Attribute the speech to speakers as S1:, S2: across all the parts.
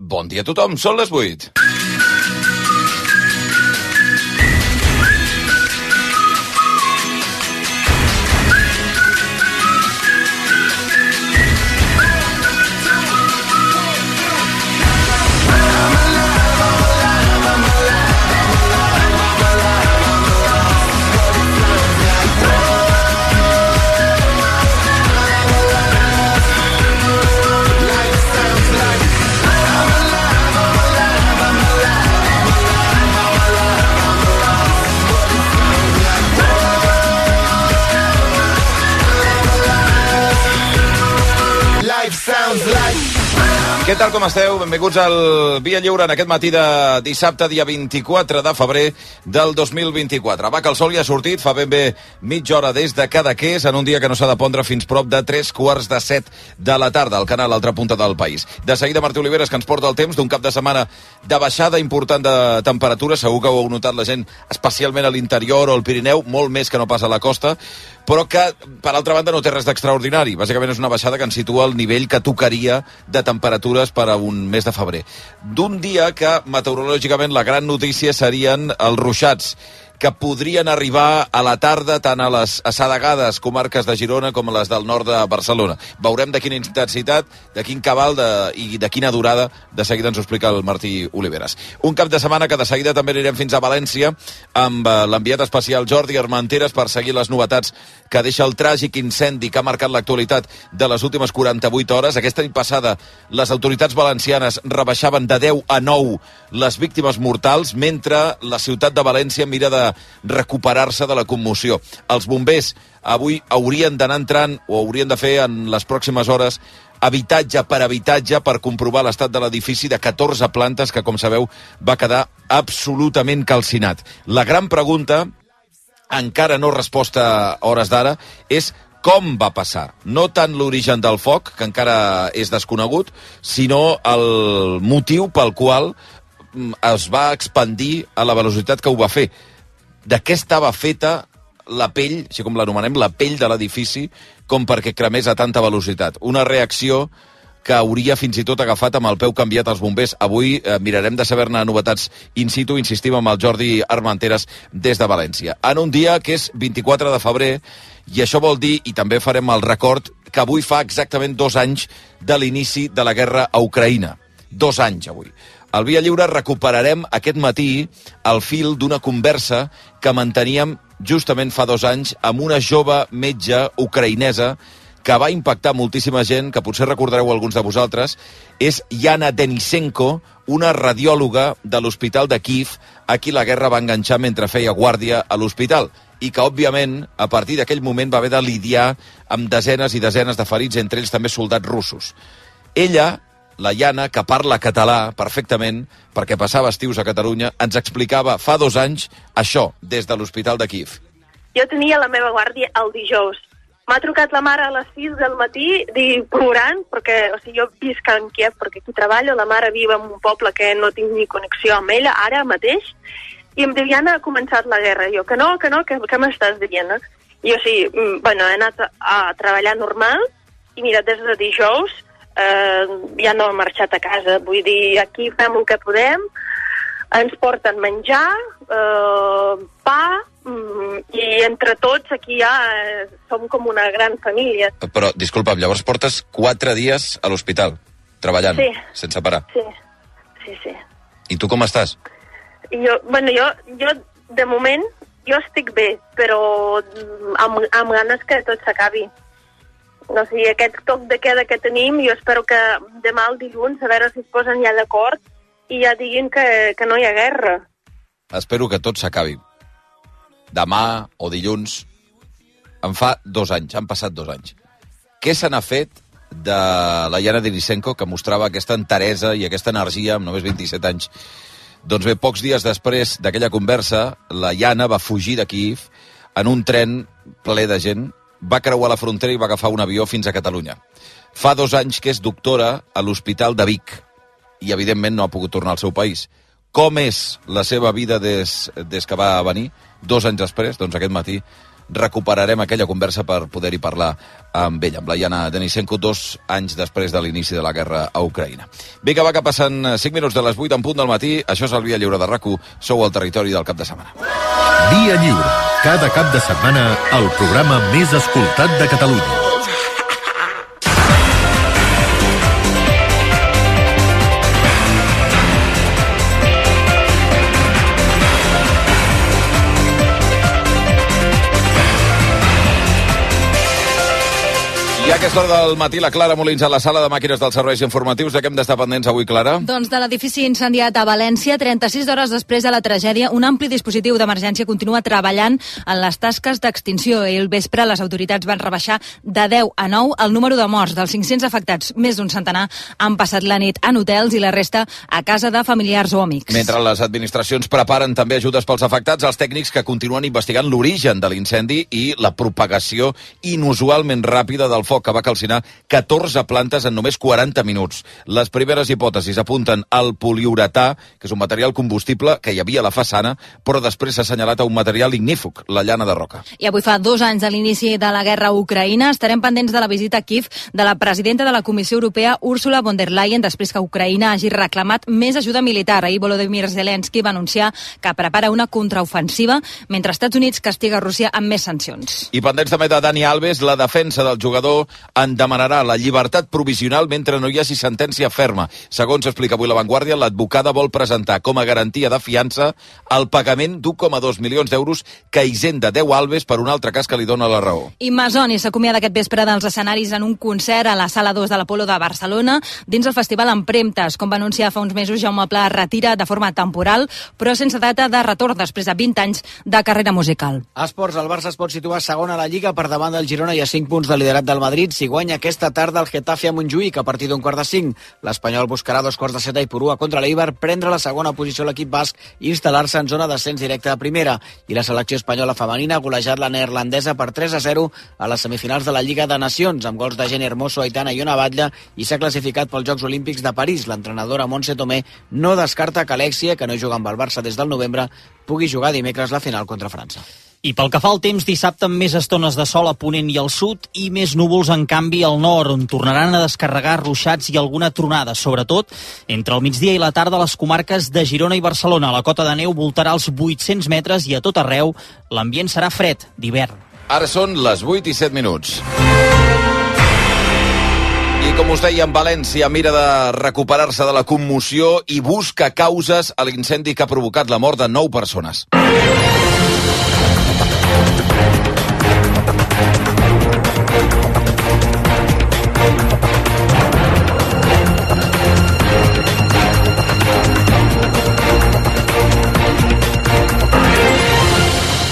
S1: Bon dia a tothom, són les 8. Què tal, com esteu? Benvinguts al Via Lliure en aquest matí de dissabte, dia 24 de febrer del 2024. Va, que el sol ja ha sortit, fa ben bé mitja hora des de Cadaqués, en un dia que no s'ha de pondre fins prop de 3:45 de la tarda, al canal a l'altra punta del país. De seguida, Martí Oliveres, que ens porta el temps d'un cap de setmana de baixada important de temperatura. Segur que ho heu notat la gent, especialment a l'interior o al Pirineu, molt més que no pas a la costa, però que, per altra banda, no té res d'extraordinari. Bàsicament és una baixada que ens situa al nivell que tocaria de temperatures per a un mes de febrer. D'un dia que, meteorològicament, la gran notícia serien els ruixats, que podrien arribar a la tarda tant a les assedegades comarques de Girona com a les del nord de Barcelona. Veurem de quina intensitat, de quin cabal i de quina durada. De seguida ens ho explica el Martí Oliveres. Un cap de setmana que de seguida també anirem fins a València amb l'enviat especial Jordi Armenteres per seguir les novetats que deixa el tràgic incendi que ha marcat l'actualitat de les últimes 48 hores. Aquesta nit passada les autoritats valencianes rebaixaven de 10 a 9 les víctimes mortals, mentre la ciutat de València mira de recuperar-se de la commoció. Els bombers avui haurien d'anar entrant, o haurien de fer en les pròximes hores, habitatge per habitatge per comprovar l'estat de l'edifici de 14 plantes que, com sabeu, va quedar absolutament calcinat. La gran pregunta, encara no resposta a hores d'ara, és com va passar. No tant l'origen del foc, que encara és desconegut, sinó el motiu pel qual es va expandir a la velocitat que ho va fer. De què estava feta la pell, així com l'anomenem, la pell de l'edifici, com perquè cremés a tanta velocitat. Una reacció que hauria fins i tot agafat amb el peu canviat als bombers. Avui mirarem de saber-ne novetats in situ, insistim amb el Jordi Armenteres des de València. En un dia que és 24 de febrer, i això vol dir, i també farem el record, que avui fa exactament 2 anys de l'inici de la guerra a Ucraïna. 2 anys avui. Al Via Lliure recuperarem aquest matí el fil d'una conversa que manteníem justament fa 2 anys amb una jove metge ucraïnesa que va impactar moltíssima gent, que potser recordareu alguns de vosaltres. És Yana Denisenko, una radiòloga de l'Hospital de Kíev, a qui la guerra va enganxar mentre feia guàrdia a l'hospital, i que, òbviament, a partir d'aquell moment va haver de lidiar amb desenes i desenes de ferits, entre ells també soldats russos. Ella, la Yana, que parla català perfectament, perquè passava estius a Catalunya, ens explicava fa 2 anys això des de l'Hospital de Kíev.
S2: Jo tenia la meva guàrdia el dijous. M'ha trucat la mare a les 6 del matí plorant, perquè jo visc en Kíev, perquè aquí treballo, la mare viu en un poble que no tinc ni connexió amb ella ara mateix, i em diu, Yana, ha començat la guerra. Jo, que no, què m'estàs dient? I jo sí, he anat a treballar normal, i mira, des de dijous ja no he marxat a casa. Vull dir, aquí fem el que podem, ens porten menjar, pa, i entre tots aquí ja som com una gran família.
S1: Però, disculpa'm, llavors portes 4 dies a l'hospital, treballant,
S2: sí,
S1: sense parar.
S2: Sí.
S1: I tu com estàs?
S2: Jo, de moment, jo estic bé, però amb ganes que tot s'acabi. No sé, aquest toc de queda que tenim, jo espero que demà el dilluns, a veure si es posen ja d'acord i ja diguin que no hi ha guerra.
S1: Espero que tot s'acabi. Demà o dilluns. En fa 2 anys, han passat 2 anys. Què se n'ha fet de la Yana Denisenko, que mostrava aquesta enteresa i aquesta energia amb només 27 anys? Doncs bé, pocs dies després d'aquella conversa, la Yana va fugir de Kíev en un tren ple de gent, va creuar la frontera i va agafar un avió fins a Catalunya. Fa 2 anys que és doctora a l'Hospital de Vic i, evidentment, no ha pogut tornar al seu país. Com és la seva vida des que va venir? 2 anys després, doncs aquest matí recuperarem aquella conversa per poder-hi parlar amb ella, amb la Yana Denisenko, 2 anys després de l'inici de la guerra a Ucraïna. Vinga, va, que passen 5 minuts de les 8 en punt del matí. Això és el Via Lliure de RAC1. Sou al territori del cap de setmana.
S3: Via Lliure. Cada cap de setmana, el programa més escoltat de Catalunya.
S1: I a aquesta hora del matí, la Clara Molins a la sala de màquines dels serveis informatius. De què hem d'estar pendents avui, Clara?
S4: Doncs de l'edifici incendiat a València, 36 hores després de la tragèdia, un ampli dispositiu d'emergència continua treballant en les tasques d'extinció. I al vespre les autoritats van rebaixar de 10 a 9 el número de morts. Dels 500 afectats, més d'un centenar han passat la nit en hotels i la resta a casa de familiars o amics.
S1: Mentre les administracions preparen també ajudes pels afectats, els tècnics que continuen investigant l'origen de l'incendi i la propagació inusualment ràpida del foc, que va calcinar 14 plantes en només 40 minuts. Les primeres hipòtesis apunten al poliuretà, que és un material combustible que hi havia a la façana, però després s'ha assenyalat a un material ignífug, la llana de roca.
S4: I avui fa 2 anys de l'inici de la guerra a Ucraïna. Estarem pendents de la visita a Kiev de la presidenta de la Comissió Europea, Ursula von der Leyen, després que Ucraïna hagi reclamat més ajuda militar. Ahir Volodymyr Zelensky va anunciar que prepara una contraofensiva, mentre Estats Units castiga Rússia amb més sancions.
S1: I pendents també de Dani Alves, la defensa del jugador en demanarà la llibertat provisional mentre no hi hagi sentència ferma. Segons explica avui La Vanguardia, l'advocada vol presentar com a garantia de fiança el pagament d'1,2 milions d'euros que hisenda 10 Alves per un altre cas que li dona la raó.
S4: I Masoni s'acomiada aquest vespre dels escenaris en un concert a la Sala 2 de l'Apolo de Barcelona dins el Festival Empremtes. Com va anunciar fa uns mesos, Jaume Pla retira de forma temporal, però sense data de retorn després de 20 anys de carrera musical.
S5: A esports, el Barça es pot situar segon a la Lliga per davant del Girona i a 5 punts de liderat del Madrid si guanya aquesta tarda el Getafe a Montjuïc a partir d'un 4:45. L'Espanyol buscarà 2/7 i Porua contra l'Eibar, prendre la segona posició a l'equip basc i instal·lar-se en zona d'ascens directe a primera. I la selecció espanyola femenina ha golejat la neerlandesa per 3-0 a les semifinals de la Lliga de Nacions, amb gols de Jenny Hermoso, Aitana i Ona Batlle, i s'ha classificat pels Jocs Olímpics de París. L'entrenadora Montse Tomé no descarta que Alexia, que no juga amb el Barça des del novembre, pugui jugar dimecres la final contra França.
S6: I pel que fa al temps, dissabte amb més estones de sol a Ponent i al sud i més núvols, en canvi, al nord, on tornaran a descarregar ruixats i alguna tronada, sobretot entre el migdia i la tarda a les comarques de Girona i Barcelona. La cota de neu voltarà als 800 metres i a tot arreu l'ambient serà fred, d'hivern.
S1: Ara són les 8 i 7 minuts. I com us deia, València mira de recuperar-se de la commoció i busca causes a l'incendi que ha provocat la mort de 9 persones.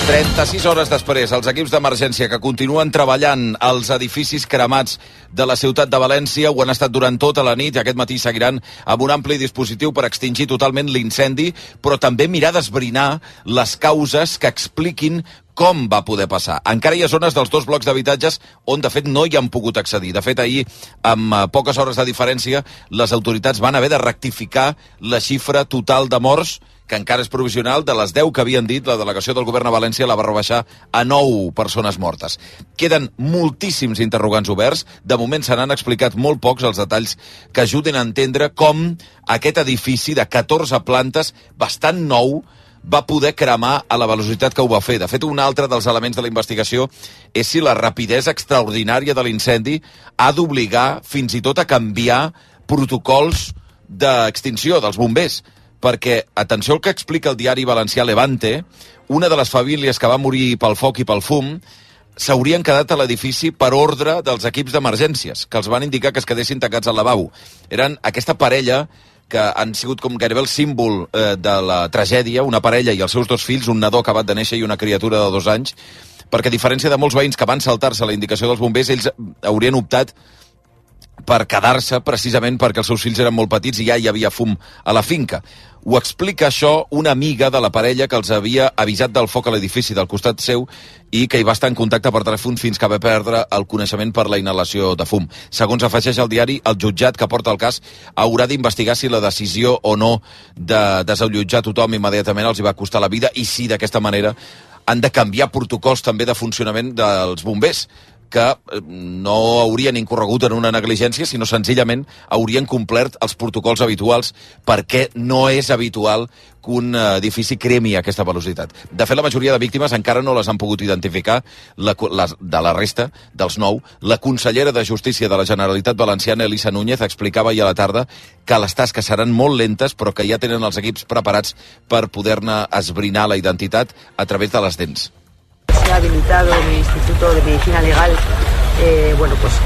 S1: 36 hores després, els equips d'emergència que continuen treballant als edificis cremats de la ciutat de València ho han estat durant tota la nit i aquest matí seguiran amb un ampli dispositiu per extingir totalment l'incendi, però també mirar d'esbrinar les causes que expliquin com va poder passar. Encara hi ha zones dels 2 blocs d'habitatges on, de fet, no hi han pogut accedir. De fet, ahir, amb poques hores de diferència, les autoritats van haver de rectificar la xifra total de morts, que encara és provisional, de les 10 que havien dit. La delegació del govern a València la va rebaixar a 9 persones mortes. Queden moltíssims interrogants oberts. De moment se n'han explicat molt pocs els detalls que ajuden a entendre com aquest edifici de 14 plantes, bastant nou, va poder cremar a la velocitat que ho va fer. De fet, un altre dels elements de la investigació és si la rapidesa extraordinària de l'incendi ha d'obligar fins i tot a canviar protocols d'extinció dels bombers. Perquè, atenció al que explica el diari valencià Levante, una de les famílies que va morir pel foc i pel fum s'haurien quedat a l'edifici per ordre dels equips d'emergències, que els van indicar que es quedessin tancats al lavabo. Eren aquesta parella que han sigut com gairebé el símbol de la tragèdia, una parella i els seus 2 fills, un nadó acabat de néixer i una criatura de 2 anys, perquè a diferència de molts veïns que van saltar-se la indicació dels bombers, ells haurien optat per quedar-se precisament perquè els seus fills eren molt petits i ja hi havia fum a la finca. Ho explica això una amiga de la parella que els havia avisat del foc a l'edifici del costat seu i que hi va estar en contacte per telèfon fins que va perdre el coneixement per la inhalació de fum. Segons afegeix el diari, el jutjat que porta el cas haurà d'investigar si la decisió o no de desallotjar tothom immediatament els hi va costar la vida i si d'aquesta manera han de canviar protocols també de funcionament dels bombers, que no haurien incorregut en una negligència, sinó senzillament haurien complert els protocols habituals, perquè no és habitual que un edifici cremi a aquesta velocitat. De fet, la majoria de víctimes encara no les han pogut identificar de la resta, dels 9. La consellera de Justícia de la Generalitat Valenciana, Elisa Núñez, explicava ahir a la tarda que les tasques seran molt lentes, però que ja tenen els equips preparats per poder-ne esbrinar la identitat a través de les dents.
S7: Se ha habilitado en el Instituto de Medicina Legal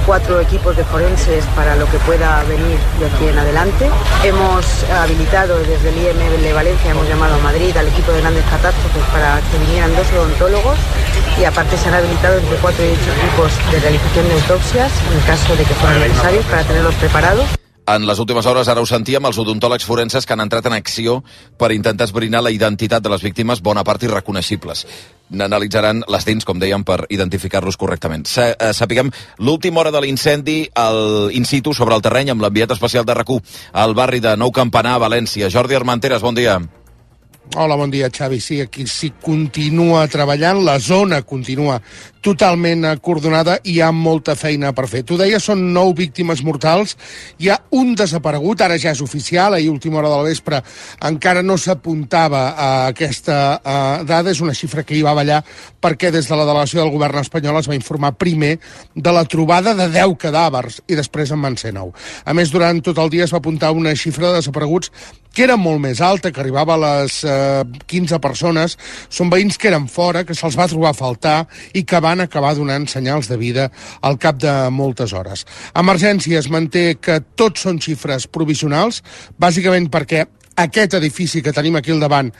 S7: 4 equipos de forenses para lo que pueda venir de aquí en adelante. Hemos habilitado desde el IEM de Valencia, hemos llamado a Madrid al equipo de grandes catástrofes para que vinieran 2 odontólogos y aparte se han habilitado entre 4 y 8 equipos de realización de autopsias en caso de que fueran necesarios para tenerlos preparados.
S1: En les últimes hores, ara ho sentíem, els odontòlegs forenses que han entrat en acció per intentar esbrinar la identitat de les víctimes, bona part irreconeixibles. N'analitzaran les dents, com dèiem, per identificar-los correctament. Sapiguem l'última hora de l'incendi al in situ sobre el terreny amb l'enviat especial de RAC1 al barri de Nou Campanar, a València. Jordi Armenteres, bon dia.
S8: Hola, bon dia, Xavi. Sí, aquí s'hi continua treballant, la zona continua totalment acordonada i hi ha molta feina per fer. Tu deies, són 9 víctimes mortals, hi ha un desaparegut, ara ja és oficial, ahir última hora del vespre encara no s'apuntava a aquesta dada, és una xifra que hi va ballar perquè des de la delegació del govern espanyol es va informar primer de la trobada de 10 cadàvers i després en van ser 9. A més, durant tot el dia es va apuntar una xifra de desapareguts que era molt més alta, que arribava a les 15 persones. Són veïns que eren fora, que se'ls va trobar a faltar i que van acabar donant senyals de vida al cap de moltes hores. Emergències manté que tots són xifres provisionals, bàsicament perquè aquest edifici que tenim aquí al davant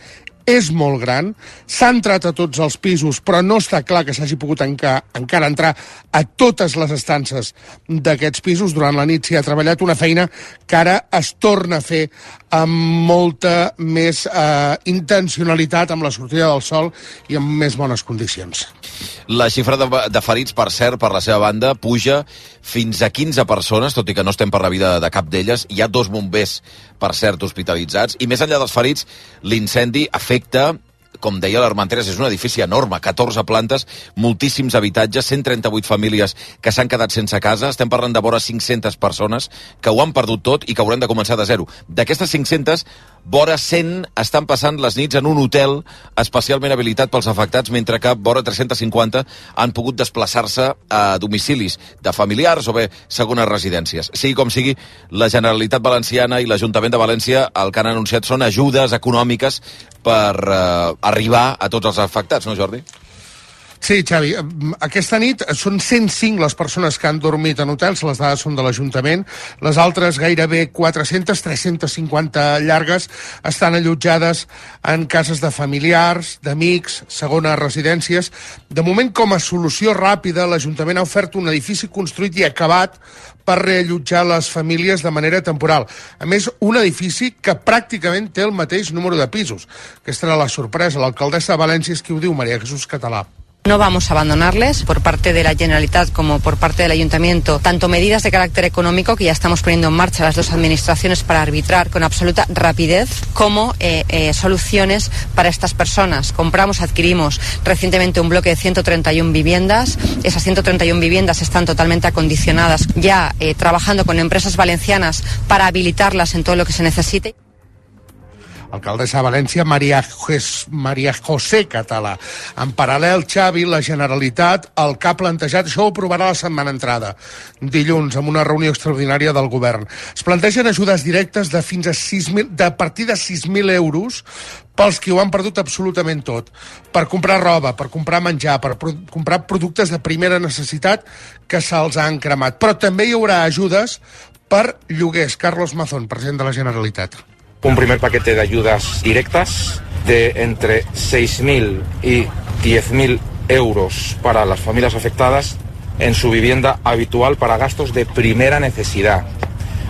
S8: és molt gran, s'ha entrat a tots els pisos, però no està clar que s'hagi pogut encara entrar a totes les estances d'aquests pisos. Durant la nit s'hi ha treballat una feina que ara es torna a fer amb molta més intencionalitat, amb la sortida del sol i amb més bones condicions.
S1: La xifra de ferits, per cert, per la seva banda, puja fins a 15 persones, tot i que no estem per la vida de cap d'elles. Hi ha 2 bombers, per cert, hospitalitzats. I més enllà dels ferits, l'incendi afecta, com deia l'Armenteres, és un edifici enorme, 14 plantes, moltíssims habitatges, 138 famílies que s'han quedat sense casa. Estem parlant de vora 500 persones que ho han perdut tot i que hauran de començar de zero. D'aquestes 500, vora 100 estan passant les nits en un hotel especialment habilitat pels afectats, mentre que vora 350 han pogut desplaçar-se a domicilis de familiars o bé segones residències. Sigui com sigui, la Generalitat Valenciana i l'Ajuntament de València el que han anunciat són ajudes econòmiques per arribar a tots els afectats, no, Jordi?
S8: Sí, Xavi, aquesta nit són 105 les persones que han dormit en hotels, les dades són de l'Ajuntament, les altres gairebé 400, 350 llargues, estan allotjades en cases de familiars, d'amics, segones residències. De moment, com a solució ràpida, l'Ajuntament ha ofert un edifici construït i acabat per reallotjar les famílies de manera temporal. A més, un edifici que pràcticament té el mateix número de pisos. Aquesta era la sorpresa. L'alcaldessa de València és qui ho diu, María Jesús Català.
S9: No vamos a abandonarles por parte de la Generalitat como por parte del Ayuntamiento, tanto medidas de carácter económico que ya estamos poniendo en marcha las 2 administraciones para arbitrar con absoluta rapidez, como soluciones para estas personas. Adquirimos recientemente un bloque de 131 viviendas. Esas 131 viviendas están totalmente acondicionadas, ya trabajando con empresas valencianas para habilitarlas en todo lo que se necesite.
S8: Alcaldessa de València, María José Català. En paral·lel, Xavi, la Generalitat, el que ha plantejat, això ho aprovarà la setmana entrada, dilluns, amb una reunió extraordinària del govern. Es plantegen ajudes directes de fins a 6.000, de partir de 6.000 euros pels qui ho han perdut absolutament tot. Per comprar roba, per comprar menjar, per comprar productes de primera necessitat que se'ls han cremat. Però també hi haurà ajudes per lloguers. Carlos Mazón, president de la Generalitat.
S10: Un primer paquete de ayudas directas de entre 6.000 y 10.000 euros para las familias afectadas en su vivienda habitual para gastos de primera necesidad.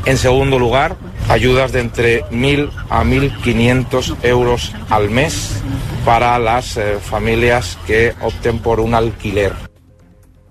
S10: En segundo lugar, ayudas de entre 1.000 a 1.500 euros al mes para las familias que opten por un alquiler.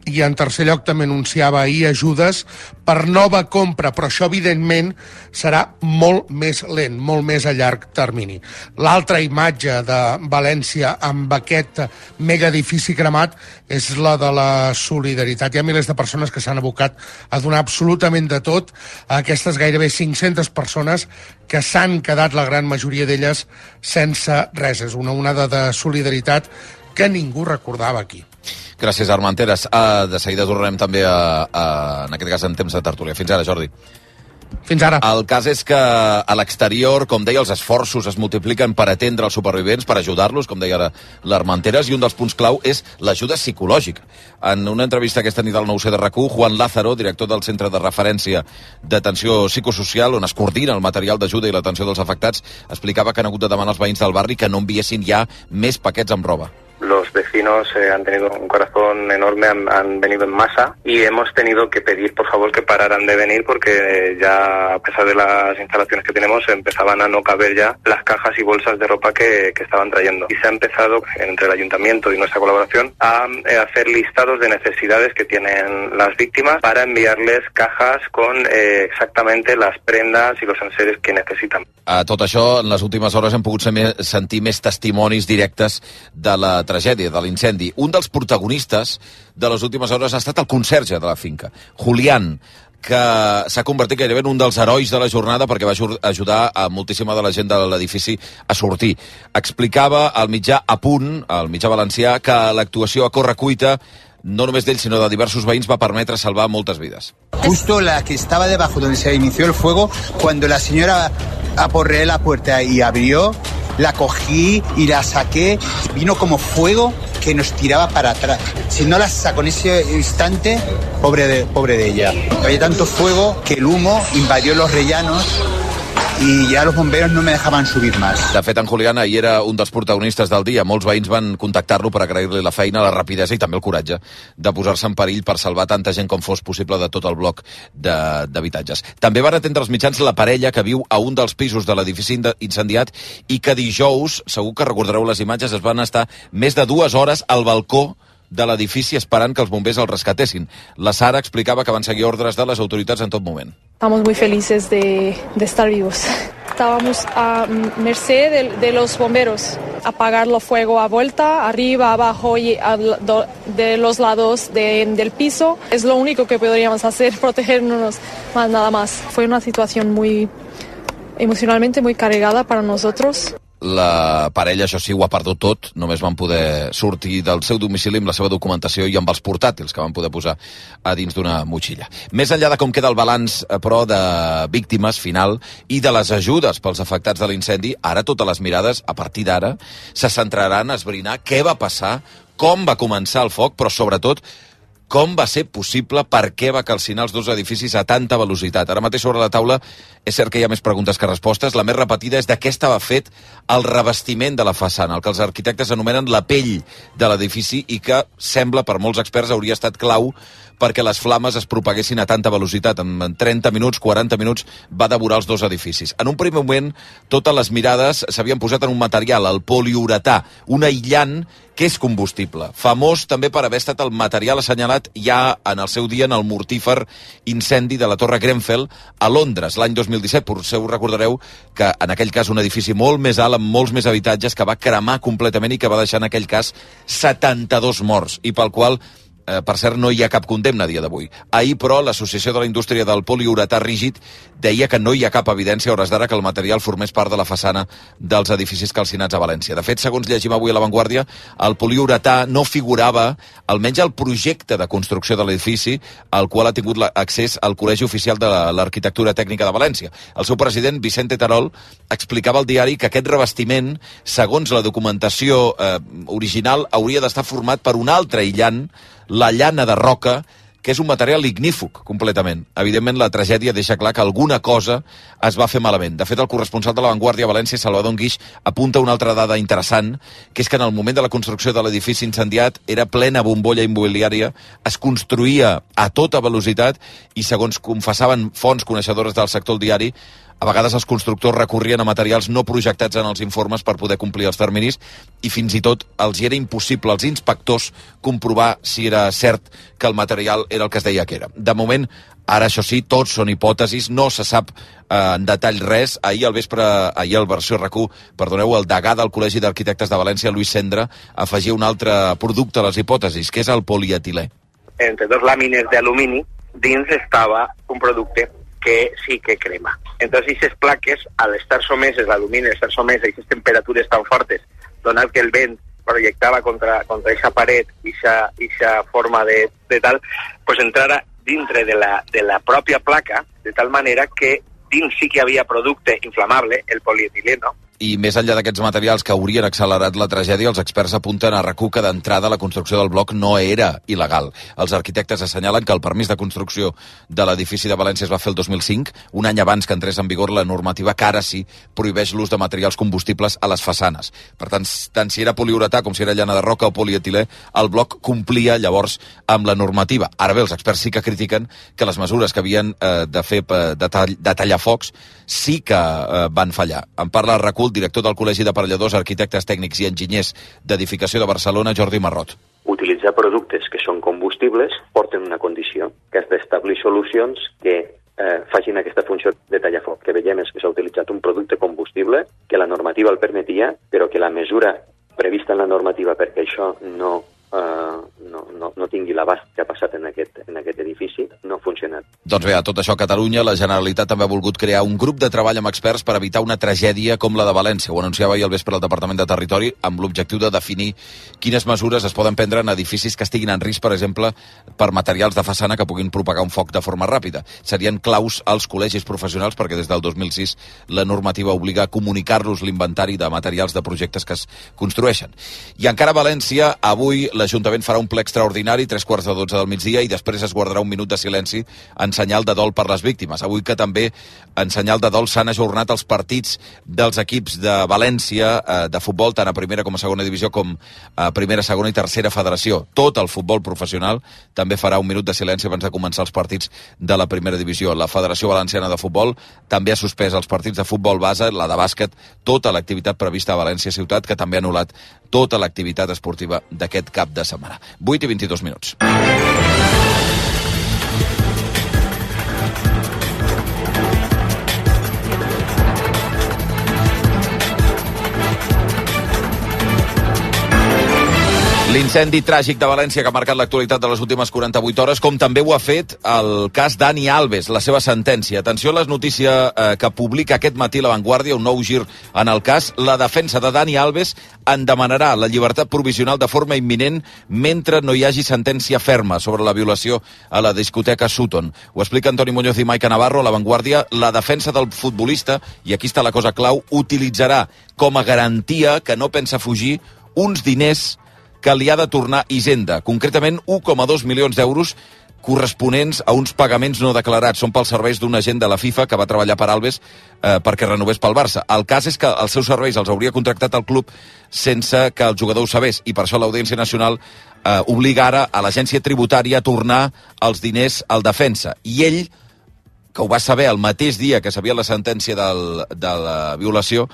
S8: I en tercer lloc també anunciava ahir ajudes per nova compra, però això evidentment serà molt més lent, molt més a llarg termini. L'altra imatge de València amb aquest mega edifici cremat és la de la solidaritat. Hi ha milers de persones que s'han abocat a donar absolutament de tot a aquestes gairebé 500 persones que s'han quedat, la gran majoria d'elles, sense res. És una onada de solidaritat que ningú recordava aquí.
S1: Gràcies, Armenteres. De seguida tornarem també en aquest cas en temps de tertúlia. Fins ara, Jordi.
S8: Fins ara.
S1: El cas és que a l'exterior, com deia, els esforços es multipliquen per atendre els supervivents, per ajudar-los, com deia l'Armenteres, i un dels punts clau és l'ajuda psicològica. En una entrevista aquesta nit al 9C de RAC1, Juan Lázaro, director del Centre de Referència d'Atenció Psicosocial, on es coordina el material d'ajuda i l'atenció dels afectats, explicava que han hagut de demanar als veïns del barri que no enviessin ja més paquets amb roba.
S11: Los vecinos han tenido un corazón enorme, han venido en masa y hemos tenido que pedir por favor que pararan de venir porque ya a pesar de las instalaciones que tenemos empezaban a no caber ya las cajas y bolsas de ropa que estaban trayendo. Y se ha empezado entre el ayuntamiento y nuestra colaboración a hacer listados de necesidades que tienen las víctimas para enviarles cajas con exactamente las prendas y los enseres que necesitan.
S1: A tot això, en les últimes hores hem pogut sentir més testimonis directes de la tragèdia, de l'incendi. Un dels protagonistes de les últimes hores ha estat el conserge de la finca, Julián, que s'ha convertit gairebé en un dels herois de la jornada perquè va ajudar a moltíssima de la gent de l'edifici a sortir. Explicava al mitjà A Punt, al mitjà valencià, que l'actuació a correcuita no només d'ell, sinó de diversos veïns, va permetre salvar moltes vides.
S12: Justo la que estaba debajo donde se inició el fuego, cuando la señora aporreé la puerta y abrió, la cogí y la saqué, vino como fuego que nos tiraba para atrás. Si no la sacó en ese instante, pobre de ella. Había tanto fuego que el humo invadió los rellanos i ja els bomberos no me dejaven subir més.
S1: De fet, en Julián ahir era un dels protagonistes del dia. Molts veïns van contactar-lo per agrair-li la feina, la rapidesa i també el coratge de posar-se en perill per salvar tanta gent com fos possible de tot el bloc d'habitatges. També van atendre els mitjans la parella que viu a un dels pisos de l'edifici incendiat i que dijous, segur que recordareu les imatges, es van estar més de 2 hores al balcó de l'edifici esperant que els bombers el rescatessin. La Sara explicava que van seguir ordres de les autoritats en tot moment.
S13: Estamos muy felices de estar vivos. Estábamos a merced de los bomberos. Apagar el fuego a vuelta, arriba, abajo y de los lados del piso. Es lo único que podríamos hacer, protegernos, más nada más. Fue una situación muy emocionalmente muy cargada para nosotros.
S1: La parella, això sí, ho ha perdut tot. Només van poder sortir del seu domicili amb la seva documentació i amb els portàtils que van poder posar a dins d'una motxilla. Més enllà de com queda el balanç, però, de víctimes final i de les ajudes pels afectats de l'incendi, ara totes les mirades, a partir d'ara, se centraran a esbrinar què va passar, com va començar el foc, però sobretot com va ser possible, per què va calcinar els 2 edificis a tanta velocitat. Ara mateix sobre la taula és cert que hi ha més preguntes que respostes. La més repetida és de què estava fet el revestiment de la façana, el que els arquitectes anomenen la pell de l'edifici i que sembla, per molts experts, hauria estat clau perquè les flames es propaguessin a tanta velocitat. En 30 minuts, 40 minuts, va devorar els 2 edificis. En un primer moment, totes les mirades s'havien posat en un material, el poliuretà, un aïllant que és combustible. Famós també per haver estat el material assenyalat ja en el seu dia en el mortífer incendi de la Torre Grenfell a Londres, l'any 2017. Potser us recordareu que en aquell cas un edifici molt més alt, amb molts més habitatges, que va cremar completament i que va deixar en aquell cas 72 morts, i pel qual per cert, no hi ha cap condemna a dia d'avui. Ahir, però, l'Associació de la Indústria del Poliuretà Rígid deia que no hi ha cap evidència a hores d'ara que el material formés part de la façana dels edificis calcinats a València. De fet, segons llegim avui a La Vanguardia, el poliuretà no figurava, almenys al projecte de construcció de l'edifici, al qual ha tingut accés al Col·legi Oficial de l'Arquitectura Tècnica de València. El seu president, Vicente Terol, explicava al diari que aquest revestiment, segons la documentació original, hauria d'estar format per un altre aïllant, la llana de roca, que és un material ignífug, completament. Evidentment, la tragèdia deixa clar que alguna cosa es va fer malament. De fet, el corresponsal de La Vanguardia a València, Salvador Guix, apunta una altra dada interessant, que és que en el moment de la construcció de l'edifici incendiat era plena bombolla immobiliària, es construïa a tota velocitat i, segons confessaven fonts coneixedores del sector al diari, A vegades els constructors recorrien a materials no projectats en els informes per poder complir els terminis i fins i tot els hi era impossible als inspectors comprovar si era cert que el material era el que es deia que era. De moment, ara, això sí, tots són hipòtesis, no se sap en detall res. Ahir al Versió RAC1, el degà del Col·legi d'Arquitectes de València, Lluís Cendra, afegia un altre producte a les hipòtesis, que és el polietilè.
S14: Entre dos làmines d'alumini, dins estava un producte que sí que crema. Entonces, aquestes plaques, al estar someses, l'alumini, estar somès a aquestes temperatures tan fortes, donat que el vent projectava contra aquesta paret, aquesta forma de tal, pues entrara dintre de la pròpia placa, de tal manera que dins sí que hi havia producte inflamable, el polietileno.
S1: I més enllà d'aquests materials que haurien accelerat la tragèdia, els experts apunten a RAC1 que d'entrada la construcció del bloc no era il·legal. Els arquitectes assenyalen que el permís de construcció de l'edifici de València es va fer el 2005, un any abans que entrés en vigor la normativa que ara sí prohibeix l'ús de materials combustibles a les façanes. Per tant si era poliuretà com si era llana de roca o polietilè, el bloc complia llavors amb la normativa. Ara bé, els experts sí que critiquen que les mesures que havien de fer de tallar focs sí que van fallar. En parla RAC1 el director del Col·legi d'Aparelladors, Arquitectes Tècnics i Enginyers d'Edificació de Barcelona, Jordi Marrot.
S15: Utilitzar productes que són combustibles porten una condició, que és d'establir solucions que facin aquesta funció de tallafoc. Que veiem és que s'ha utilitzat un producte combustible, que la normativa el permetia, però que la mesura prevista en la normativa perquè això no tingui l'abast que ha passat en aquest edifici, no ha funcionat.
S1: Doncs bé, a tot això a Catalunya, la Generalitat també ha volgut crear un grup de treball amb experts per evitar una tragèdia com la de València. Ho anunciava ahir al vespre el Departament de Territori amb l'objectiu de definir quines mesures es poden prendre en edificis que estiguin en risc, per exemple, per materials de façana que puguin propagar un foc de forma ràpida. Serien claus als col·legis professionals perquè des del 2006 la normativa obliga a comunicar-los l'inventari de materials de projectes que es construeixen. I encara a València, avui l'Ajuntament farà un ple extraordinari, 3:15 del migdia, i després es guardarà un minut de silenci en senyal de dol per les víctimes. Avui que també en senyal de dol s'han ajornat els partits dels equips de València de futbol, tant a primera com a segona divisió, com a primera, segona i tercera federació. Tot el futbol professional també farà un minut de silenci abans de començar els partits de la primera divisió. La Federació Valenciana de Futbol també ha suspès els partits de futbol base, la de bàsquet, tota l'activitat prevista a València Ciutat, que també ha anul·lat tota l'activitat esportiva d'aquest cap de setmana. 8:22 minuts. L'incendi tràgic de València que ha marcat l'actualitat de les últimes 48 hores, com també ho ha fet el cas Dani Alves, la seva sentència. Atenció a la notícia que publica aquest matí La Vanguardia, un nou gir en el cas. La defensa de Dani Alves en demanarà la llibertat provisional de forma imminent mentre no hi hagi sentència ferma sobre la violació a la discoteca Sutton. Ho explica Antoni Muñoz i Maica Navarro a La Vanguardia. La defensa del futbolista, i aquí està la cosa clau, utilitzarà com a garantia que no pensa fugir uns diners que li ha de tornar Hisenda, concretament 1,2 milions d'euros corresponents a uns pagaments no declarats. Són pels serveis d'un agent de la FIFA que va treballar per Alves perquè renovés pel Barça. El cas és que els seus serveis els hauria contractat el club sense que el jugador ho sabés, i per això l'Audiència Nacional obliga ara a l'agència tributària a tornar els diners al defensa. I ell, que ho va saber el mateix dia que sabia la sentència de la violació,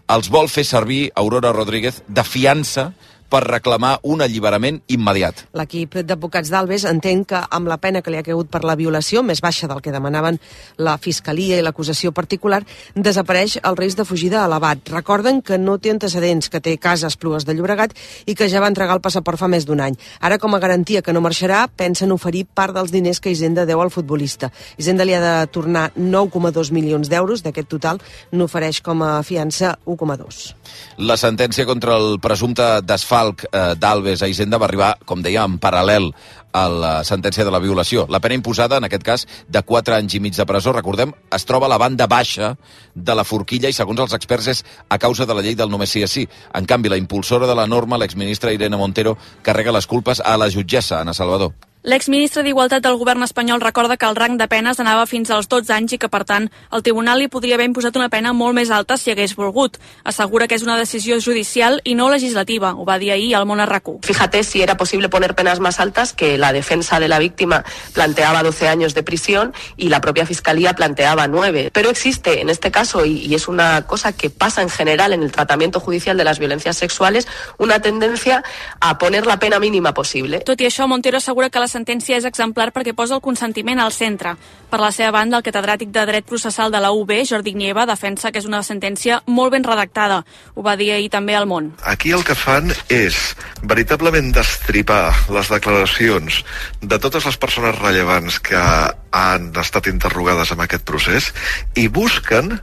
S1: els vol fer servir, Aurora Rodríguez, de fiança per reclamar un alliberament immediat.
S16: L'equip d'advocats d'Alves entén que amb la pena que li ha caigut per la violació, més baixa del que demanaven la Fiscalia i l'acusació particular, desapareix el risc de fugida elevat. Recorden que no té antecedents, que té casa a Esplugues de Llobregat i que ja va entregar el passaport fa més d'un any. Ara, com a garantia que no marxarà, pensen oferir part dels diners que Hisenda deu al futbolista. Hisenda li ha de tornar 9,2 milions d'euros, d'aquest total n'ofereix com a fiança 1,2.
S1: La sentència contra el presumpte desfalc d'Alves a Hisenda va arribar, com deia, en paral·lel a la sentència de la violació. La pena imposada, en aquest cas, de 4 anys i mig de presó, recordem, es troba a la banda baixa de la forquilla i, segons els experts, és a causa de la llei del només sí és sí. En canvi, la impulsora de la norma, l'exministra Irene Montero, carrega les culpes a la jutgessa, Ana Salvador.
S17: L'exministre d'Igualtat del govern espanyol recorda que el rang de penes anava fins als 12 anys i que, per tant, el tribunal li podria haver imposat una pena molt més alta si hagués volgut. Assegura que és una decisió judicial i no legislativa. Ho va dir ahir al Món a RAC1.
S18: Fíjate si era posible poner penas más altas, que la defensa de la víctima planteaba 12 años de prisión y la propia Fiscalía planteaba 9. Pero existe en este caso, y es una cosa que pasa en general en el tratamiento judicial de las violencias sexuales, una tendencia a poner la pena mínima posible.
S17: Tot i això, Montero assegura que la sentència és exemplar perquè posa el consentiment al centre. Per la seva banda, el catedràtic de Dret Processal de la UB, Jordi Nieva, defensa que és una sentència molt ben redactada. Ho va dir ahir també al Món.
S19: Aquí el que fan és veritablement destripar les declaracions de totes les persones rellevants que han estat interrogades en aquest procés i busquen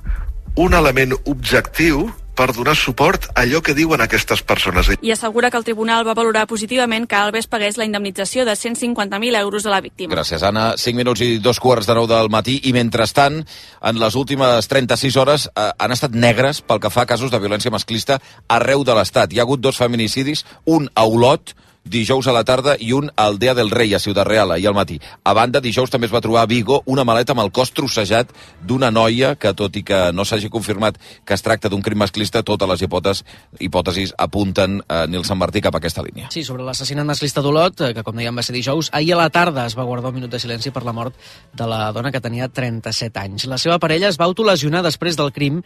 S19: un element objectiu per donar suport a allò que diuen aquestes persones.
S17: I assegura que el tribunal va valorar positivament que Alves pagués la indemnització de 150.000 euros a la víctima.
S1: Gràcies, Anna. 5 minuts i 2:15 del matí. I mentrestant, en les últimes 36 hores han estat negres pel que fa a casos de violència masclista arreu de l'Estat. Hi ha hagut 2 feminicidis, un a Olot, dijous a la tarda, i un a Aldea del Rei, a Ciutat Real, ahir al matí. A banda, dijous també es va trobar a Vigo una maleta amb el cos trossejat d'una noia que, tot i que no s'hagi confirmat que es tracta d'un crim masclista, totes les hipòtesis apunten Nil Sant Martí cap a aquesta línia.
S20: Sí, sobre l'assassinat masclista d'Olot, que com dèiem va ser dijous, ahir a la tarda es va guardar un minut de silenci per la mort de la dona que tenia 37 anys. La seva parella es va autolesionar després del crim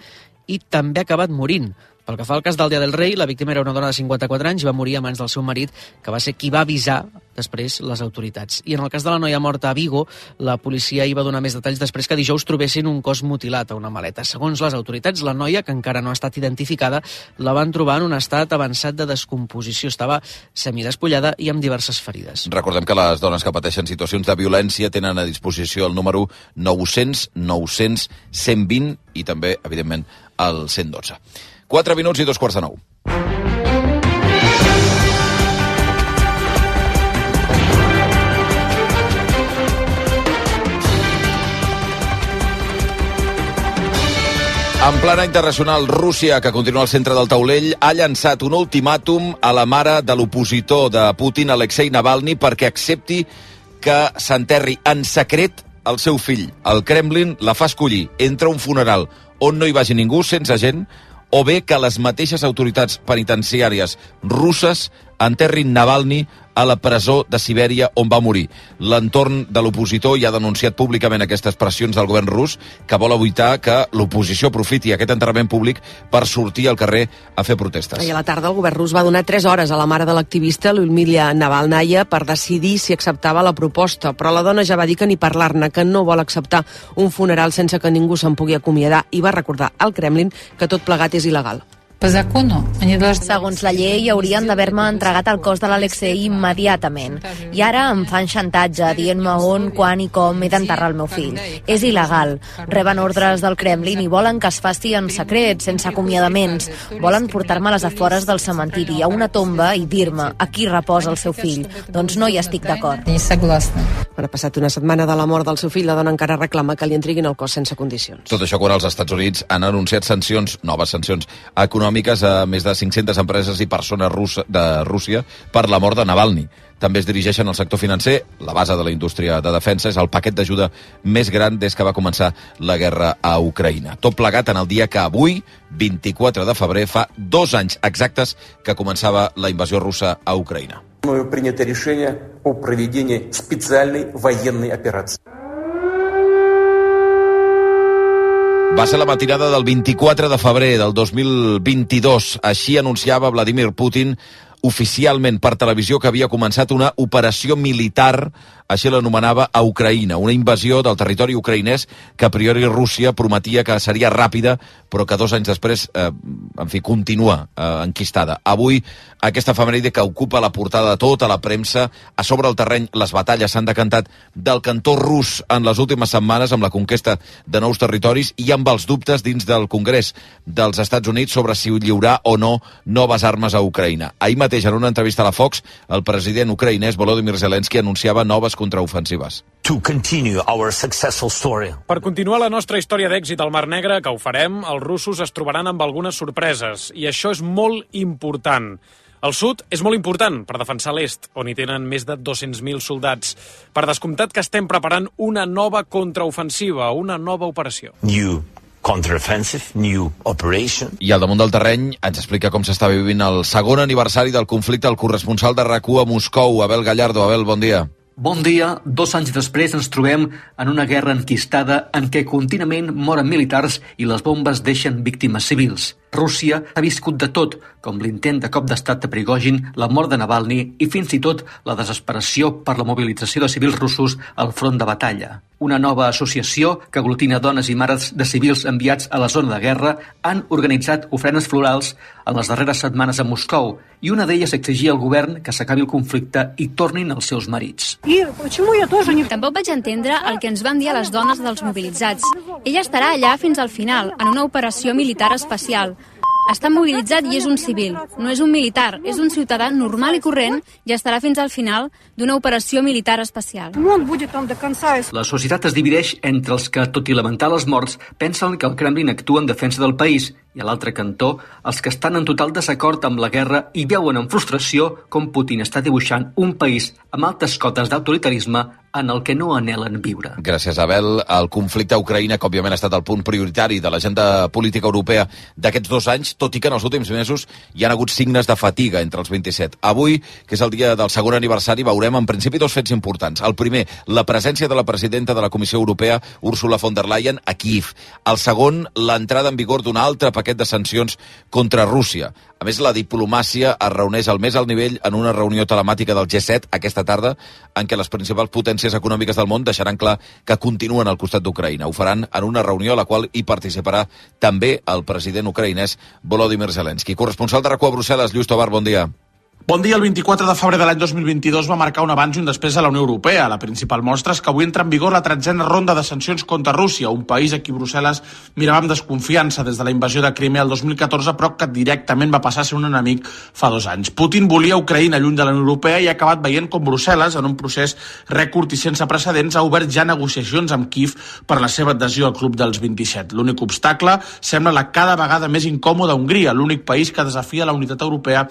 S20: i també ha acabat morint. Pel que fa al cas d'Aldea del Rei, la víctima era una dona de 54 anys i va morir a mans del seu marit, que va ser qui va avisar després les autoritats. I en el cas de la noia morta a Vigo, la policia hi va donar més detalls després que dijous trobessin un cos mutilat a una maleta. Segons les autoritats, la noia, que encara no ha estat identificada, la van trobar en un estat avançat de descomposició. Estava semidespullada i amb diverses ferides.
S1: Recordem que les dones que pateixen situacions de violència tenen a disposició el número 900 900 120 i també, evidentment, el 112. 4 minuts i 2:15. En plana internacional, Rússia, que continua al centre del taulell, ha llançat un ultimàtum a la mare de l'opositor de Putin, Alexei Navalny, perquè accepti que s'enterri en secret el seu fill. El Kremlin la fa escollir entre un funeral on no hi vagi ningú, sense gent, o bé que les mateixes autoritats penitenciàries russes enterrin Navalny a la presó de Sibèria on va morir. L'entorn de l'opositor ja ha denunciat públicament aquestes pressions del govern rus, que vol evitar que l'oposició aprofiti aquest enterrament públic per sortir al carrer a fer protestes.
S16: Ahir a la tarda el govern rus va donar 3 hores a la mare de l'activista Lyudmila Navalnaya per decidir si acceptava la proposta, però la dona ja va dir que ni parlar-ne, que no vol acceptar un funeral sense que ningú se'n pugui acomiadar, i va recordar al Kremlin que tot plegat és il·legal.
S21: Segons la llei, haurien d'haver-me entregat el cos de l'Alexei immediatament. I ara em fan xantatge, dient-me on, quan i com he d'enterrar el meu fill. És il·legal. Reben ordres del Kremlin i volen que es faci en secret, sense acomiadaments. Volen portar-me a les afores del cementiri, a una tomba, i dir-me aquí reposa el seu fill. Doncs no hi estic d'acord.
S16: Ha passat una setmana de la mort del seu fill, la dona encara reclama que li entreguin el cos sense condicions.
S1: Tot això quan els Estats Units han anunciat noves sancions econòmiques a més de 500 empreses i persones de Rússia per la mort de Navalny. També es dirigeixen al sector financer. La base de la indústria de defensa és el paquet d'ajuda més gran des que va començar la guerra a Ucraïna. Tot plegat en el dia que avui, 24 de febrer, fa 2 anys exactes que començava la invasió russa a Ucraïna.
S22: Принято решение о проведении специальной военной операции.
S1: Va ser la matinada del 24 de febrer del 2022. Així anunciava Vladimir Putin oficialment per televisió que havia començat una operació militar, així l'anomenava, a Ucraïna, una invasió del territori ucraïnès que a priori Rússia prometia que seria ràpida, però que 2 anys després, continua enquistada. Avui, aquesta efemèride que ocupa la portada de tota la premsa, a sobre el terreny les batalles s'han decantat del cantó rus en les últimes setmanes amb la conquesta de nous territoris i amb els dubtes dins del Congrés dels Estats Units sobre si lliurar o no noves armes a Ucraïna. Ahir mateix, en una entrevista a la Fox, el president ucraïnès Volodymyr Zelensky anunciava noves contraofensives.
S23: Per continuar la nostra història d'èxit al Mar Negre, que ho farem, els russos es trobaran amb algunes sorpreses, i això és molt important. El sud és molt important per defensar l'est, on hi tenen més de 200.000 soldats. Per descomptat que estem preparant una nova contraofensiva, una nova operació.
S2: New counteroffensive, new operation.
S1: I al damunt del terreny ens explica com s'està vivint el segon aniversari del conflicte el corresponsal de RAC1 a Moscou, Abel Gallardo. Abel, bon dia.
S3: Bon dia. 2 anys després ens trobem en una guerra enquistada en què contínuament moren militars i les bombes deixen víctimes civils. Rússia ha viscut de tot, com l'intent de cop d'estat de Prigozhin, la mort de Navalny i fins i tot la desesperació per la mobilització de civils russos al front de batalla. Una nova associació que aglutina dones i mares de civils enviats a la zona de guerra han organitzat ofrenes florals en les darreres setmanes a Moscou i una d'elles exigia al govern que s'acabi el conflicte i tornin els seus marits.
S4: Tampoc vaig entendre el que ens van dir a les dones dels mobilitzats. Ella estarà allà fins al final, en una operació militar especial. Està mobilitzat i és un civil. No és un militar, és un ciutadà normal i corrent i estarà fins al final d'una operació militar especial.
S3: La societat es divideix entre els que, tot i lamentar les morts, pensen que el Kremlin actua en defensa del país i a l'altre cantó, els que estan en total desacord amb la guerra i veuen amb frustració com Putin està dibuixant un país amb altes cotes d'autoritarisme en el que no anhelen viure.
S1: Gràcies, Abel. El conflicte a Ucraïna, que òbviament ha estat el punt prioritari de l'agenda política europea d'aquests 2 anys, tot i que en els últims mesos hi han hagut signes de fatiga entre els 27. Avui, que és el dia del segon aniversari, veurem en principi 2 fets importants. El primer, la presència de la presidenta de la Comissió Europea, Ursula von der Leyen, a Kyiv. El segon, l'entrada en vigor d'un altre paquet de sancions contra Rússia. A més, la diplomàcia es reuneix al més alt nivell en una reunió telemàtica del G7 aquesta tarda, en què les principals potències econòmiques del món deixaran clar que continuen al costat d'Ucraïna. Ho faran en una reunió a la qual hi participarà també el president ucraïnès Volodymyr Zelensky. Corresponsal de RAC1 a Brussel·les, Lluís Tobar, bon dia.
S24: Bon dia. El 24 de febrer de l'any 2022 va marcar un abans i un després a la Unió Europea. La principal mostra és que avui entra en vigor la 13a ronda de sancions contra Rússia, un país a qui Brussel·les mirava amb desconfiança des de la invasió de Crimea el 2014, però que directament va passar a ser un enemic fa 2 anys. Putin volia Ucraïna lluny de la Unió Europea i ha acabat veient com Brussel·les, en un procés rècord i sense precedents, ha obert ja negociacions amb Kyiv per la seva adhesió al club dels 27. L'únic obstacle sembla la cada vegada més incòmoda Hongria, l'únic país que desafia la unitat europea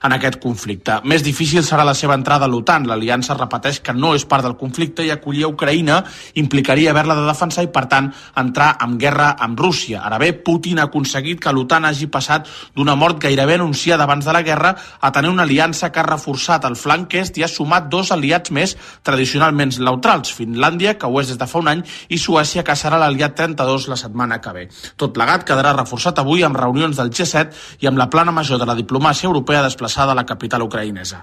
S24: en aquest conflicte. Més difícil serà la seva entrada a l'OTAN. L'aliança repeteix que no és part del conflicte i acollir a Ucraïna implicaria haver-la de defensar i, per tant, entrar en guerra amb Rússia. Ara bé, Putin ha aconseguit que l'OTAN hagi passat d'una mort gairebé anunciada abans de la guerra a tenir una aliança que ha reforçat el flanc est i ha sumat 2 aliats més tradicionalment neutrals, Finlàndia, que ho és des de fa un any, i Suècia, que serà l'aliat 32 la setmana que ve. Tot plegat quedarà reforçat avui amb reunions del G7 i amb la plana major de la diplomàcia europea desplaçada a la capital ucraïnesa.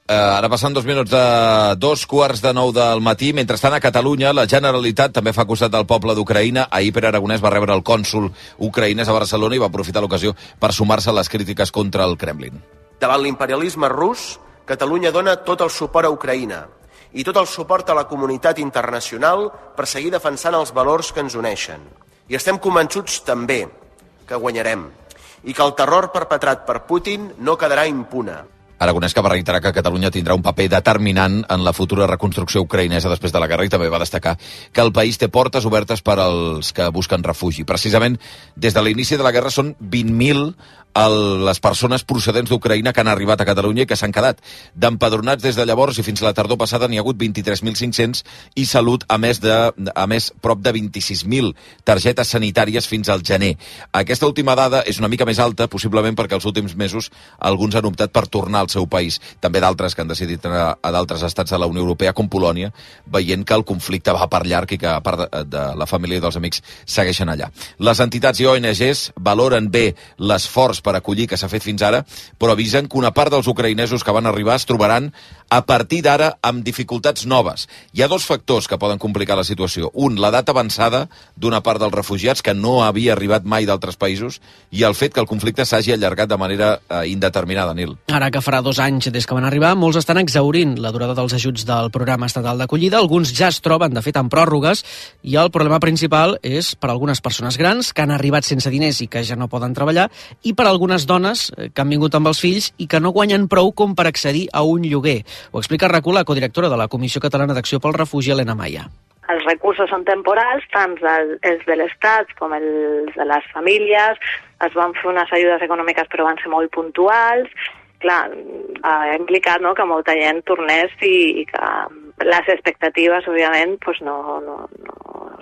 S1: Ara passen 2 minuts de 2:45 del matí. Mentrestant, a Catalunya, la Generalitat també fa costat del poble d'Ucraïna. Ahir Pere Aragonès va rebre el cònsol ucraïnès a Barcelona i va aprofitar l'ocasió per sumar-se a les crítiques contra el Kremlin.
S25: Davant l'imperialisme rus, Catalunya dona tot el suport a Ucraïna i tot el suport a la comunitat internacional per seguir defensant els valors que ens uneixen. I estem convençuts també que guanyarem i que el terror perpetrat per Putin no quedarà impune.
S1: Aragonès, que va reiterar que Catalunya tindrà un paper determinant en la futura reconstrucció ucraïnesa després de la guerra, i també va destacar que el país té portes obertes per als que busquen refugi. Precisament, des de l'inici de la guerra són 20.000 les persones procedents d'Ucraïna que han arribat a Catalunya i que s'han quedat. D'empadronats des de llavors i fins a la tardor passada n'hi ha hagut 23.500 i Salut a més prop de 26.000 targetes sanitàries fins al gener. Aquesta última dada és una mica més alta, possiblement perquè els últims mesos alguns han optat per tornar al seu país. També d'altres que han decidit anar a d'altres estats de la Unió Europea, com Polònia, veient que el conflicte va per llarg i que a part de la família i dels amics segueixen allà. Les entitats i ONGs valoren bé l'esforç per acollir que s'ha fet fins ara, però avisen que una part dels ucraïnesos que van arribar es trobaran a partir d'ara amb dificultats noves. Hi ha 2 factors que poden complicar la situació. Un, l'edat avançada d'una part dels refugiats que no havia arribat mai d'altres països, i el fet que el conflicte s'hagi allargat de manera indeterminada, Nil.
S20: Ara que farà 2 anys des que van arribar, molts estan exhaurint la durada dels ajuts del programa estatal d'acollida. Alguns ja es troben, de fet, en pròrrogues, i el problema principal és per algunes persones grans que han arribat sense diners i que ja no poden treballar, i per algunes dones que han vingut amb els fills i que no guanyen prou com per accedir a un lloguer. Ho explica RAC1 la codirectora de la Comissió Catalana d'Acció pel Refugi, Helena Maia.
S5: els recursos són temporals, tant els de l'Estat com els de les famílies. Es van fer unes ajudes econòmiques però van ser molt puntuals. Clar, ha implicat, no, que molta gent tornés i que les expectatives, òbviament, doncs no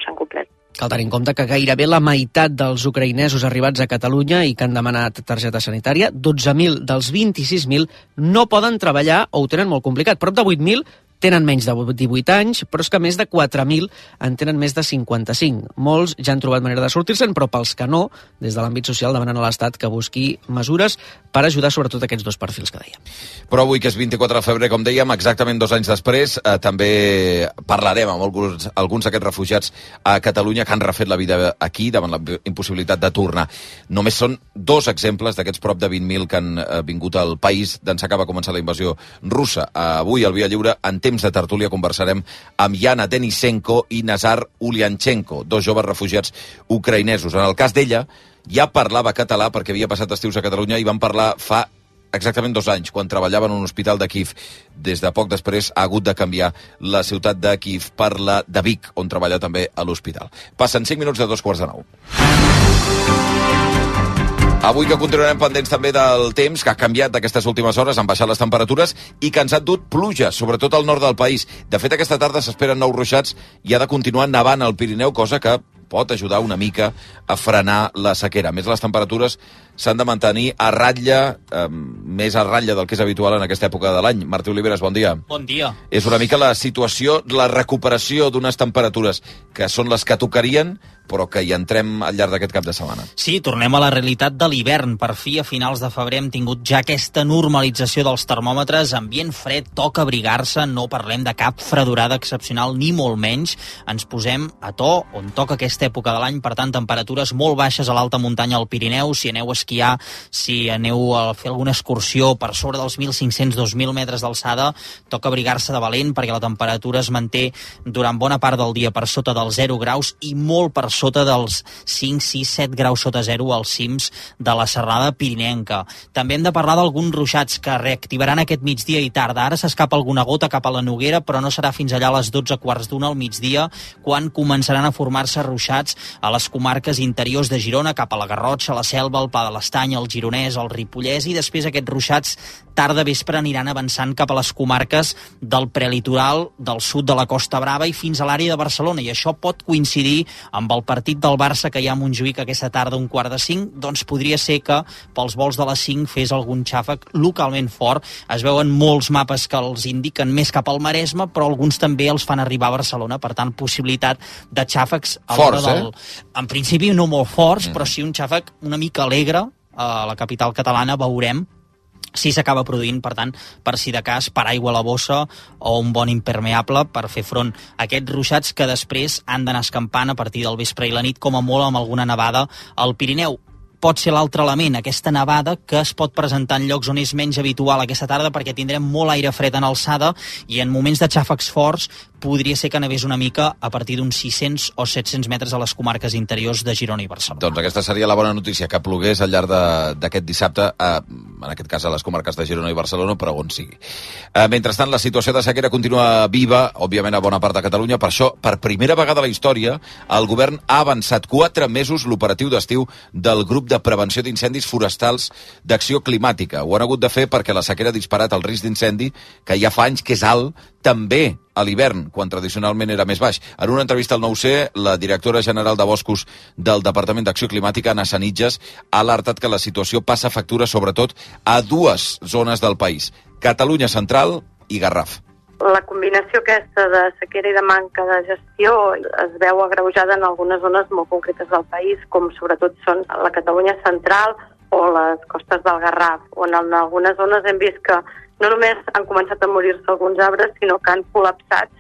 S5: s'han complert.
S20: Cal tenir en compte que gairebé la meitat dels ucraïnesos arribats a Catalunya i que han demanat targeta sanitària, 12.000 dels 26.000 no poden treballar o ho tenen molt complicat. Prop de 8.000 tenen menys de 18 anys, però és que més de 4.000 en tenen més de 55. Molts ja han trobat manera de sortir-se'n, però pels que no, des de l'àmbit social demanen a l'Estat que busqui mesures per ajudar sobretot aquests dos perfils que dèiem.
S1: Però avui, que és 24 de febrer, com dèiem, exactament 2 anys després, també parlarem amb alguns d'aquests refugiats a Catalunya que han refet la vida aquí davant la impossibilitat de tornar. Només són 2 exemples d'aquests prop de 20.000 que han vingut al país d'ençà que va començar la invasió russa. Avui, al Via Lliure, en temps de tertúlia, conversarem amb Yana Denisenko i Nazar Ulyanchenko, 2 joves refugiats ucraïnesos. En el cas d'ella, ja parlava català perquè havia passat estius a Catalunya i van parlar fa exactament 2 anys, quan treballava en un hospital de Kíev. Des de poc després ha hagut de canviar la ciutat de Kíev per la de Vic, on treballa també a l'hospital. Passen 5 minuts de 8:45. Avui que continuarem pendents també del temps, que ha canviat d'aquestes últimes hores, han baixat les temperatures i que ens ha dut pluja, sobretot al nord del país. De fet, aquesta tarda s'esperen nous ruixats i ha de continuar nevant al Pirineu, cosa que pot ajudar una mica a frenar la sequera. A més, les temperatures s'han de mantenir a ratlla, més a ratlla del que és habitual en aquesta època de l'any. Martí Oliveres, bon dia.
S6: Bon dia.
S1: És una mica la situació, la recuperació d'unes temperatures que són les que tocarien, però que hi entrem al llarg d'aquest cap de setmana.
S6: Sí, tornem a la realitat de l'hivern. Per fi, a finals de febrer, hem tingut ja aquesta normalització dels termòmetres, ambient fred, toca abrigar-se, no parlem de cap fredurada excepcional, ni molt menys. Ens posem a to on toca aquesta època de l'any, per tant, temperatures molt baixes a l'alta muntanya al Pirineu. Si aneu a esquiar, si aneu a fer alguna excursió per sobre dels 1.500-2.000 metres d'alçada, toca abrigar-se de valent perquè la temperatura es manté durant bona part del dia per sota dels 0 graus i molt per sota dels 5, 6, 7 graus sota 0 als cims de la serrada pirinenca. També hem de parlar d'alguns ruixats que reactivaran aquest migdia i tarda. Ara s'escapa alguna gota cap a la Noguera, però no serà fins allà a les 12:15 al migdia quan començaran a formar-se ruixats a les comarques interiors de Girona, cap a la Garrotxa, la Selva, el Pla de l'Estany, el Gironès, el Ripollès, i després aquests ruixats tarda vespre aniran avançant cap a les comarques del prelitoral, del sud de la Costa Brava i fins a l'àrea de Barcelona, i això pot coincidir amb el partit del Barça que hi ha a Montjuïc aquesta tarda a 4:45, doncs podria ser que pels vols de les 5 fes algun xàfec localment fort. Es veuen molts mapes que els indiquen més cap al Maresme, però alguns també els fan arribar a Barcelona, per tant, possibilitat de xàfecs a l'hora del... En principi no molt forts, però sí un xàfec una mica alegre a la capital catalana, veurem si s'acaba produint, per tant, per si de cas, paraigua a la bossa o un bon impermeable per fer front a aquests ruixats que després han d'anar escampant a partir del vespre i la nit, com a molt amb alguna nevada al Pirineu. Pot ser l'altre element, aquesta nevada que es pot presentar en llocs on és menys habitual aquesta tarda perquè tindrem molt aire fred en alçada i en moments de xàfecs forts podria ser que nevés una mica a partir d'uns 600 o 700 metres a les comarques interiors de Girona i Barcelona.
S1: Doncs aquesta seria la bona notícia, que plogués al llarg d'aquest dissabte, en aquest cas a les comarques de Girona i Barcelona, però on sigui. Mentrestant, la situació de sequera continua viva, òbviament a bona part de Catalunya. Per això, per primera vegada a la història, el govern ha avançat 4 mesos l'operatiu d'estiu del grup de prevenció d'incendis forestals d'Acció Climàtica. Ho han hagut de fer perquè la sequera ha disparat el risc d'incendi, que ja fa anys que és alt, també a l'hivern, quan tradicionalment era més baix. En una entrevista al 9C, la directora general de Boscos del Departament d'Acció Climàtica, Anna Sanitges, ha alertat que la situació passa factura sobretot a 2 zones del país, Catalunya Central i Garraf.
S5: La combinació aquesta de sequera i de manca de gestió es veu agreujada en algunes zones molt concretes del país, com sobretot són la Catalunya Central o les costes del Garraf, on en algunes zones hem vist que no només han començat a morir-se alguns arbres, sinó que han col·lapsat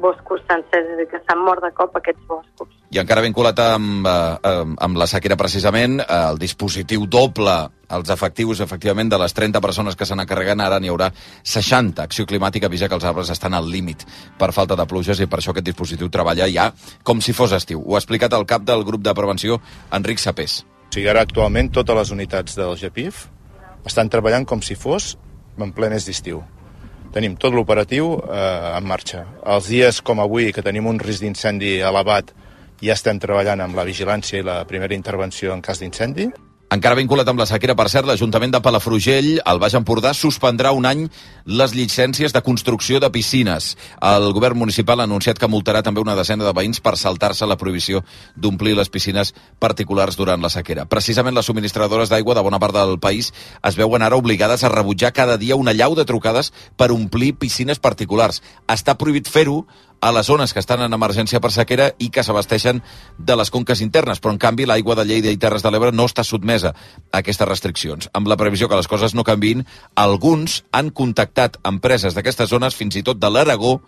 S5: boscos sencers, és a dir, que s'han mort de cop aquests boscos.
S1: I encara vinculat amb la sequera precisament, el dispositiu doble els efectius, efectivament, de les 30 persones que se n'encarreguen, ara n'hi haurà 60. Acció Climàtica avisa que els arbres estan al límit per falta de pluges i per això aquest dispositiu treballa ja com si fos estiu. Ho ha explicat el cap del grup de prevenció, Enric Sapés.
S7: O sigui, ara actualment totes les unitats del GEPIF estan treballant com si fos en ple mes d'estiu. Tenim tot l'operatiu en marxa. Els dies com avui, que tenim un risc d'incendi elevat, ja estem treballant amb la vigilància i la primera intervenció en cas d'incendi.
S1: Encara vinculat amb la sequera, per cert, l'Ajuntament de Palafrugell, al Baix Empordà, suspendrà un any les llicències de construcció de piscines. El govern municipal ha anunciat que multarà també una desena de veïns per saltar-se la prohibició d'omplir les piscines particulars durant la sequera. Precisament les subministradores d'aigua de bona part del país es veuen ara obligades a rebutjar cada dia una allau de trucades per omplir piscines particulars. Està prohibit fer-ho a les zones que estan en emergència per sequera i que s'abasteixen de les conques internes, però en canvi l'aigua de Lleida i Terres de l'Ebre no està sotmesa a aquestes restriccions. Amb la previsió que les coses no canviïn, alguns han contactat empreses d'aquestes zones, fins i tot de l'Aragó,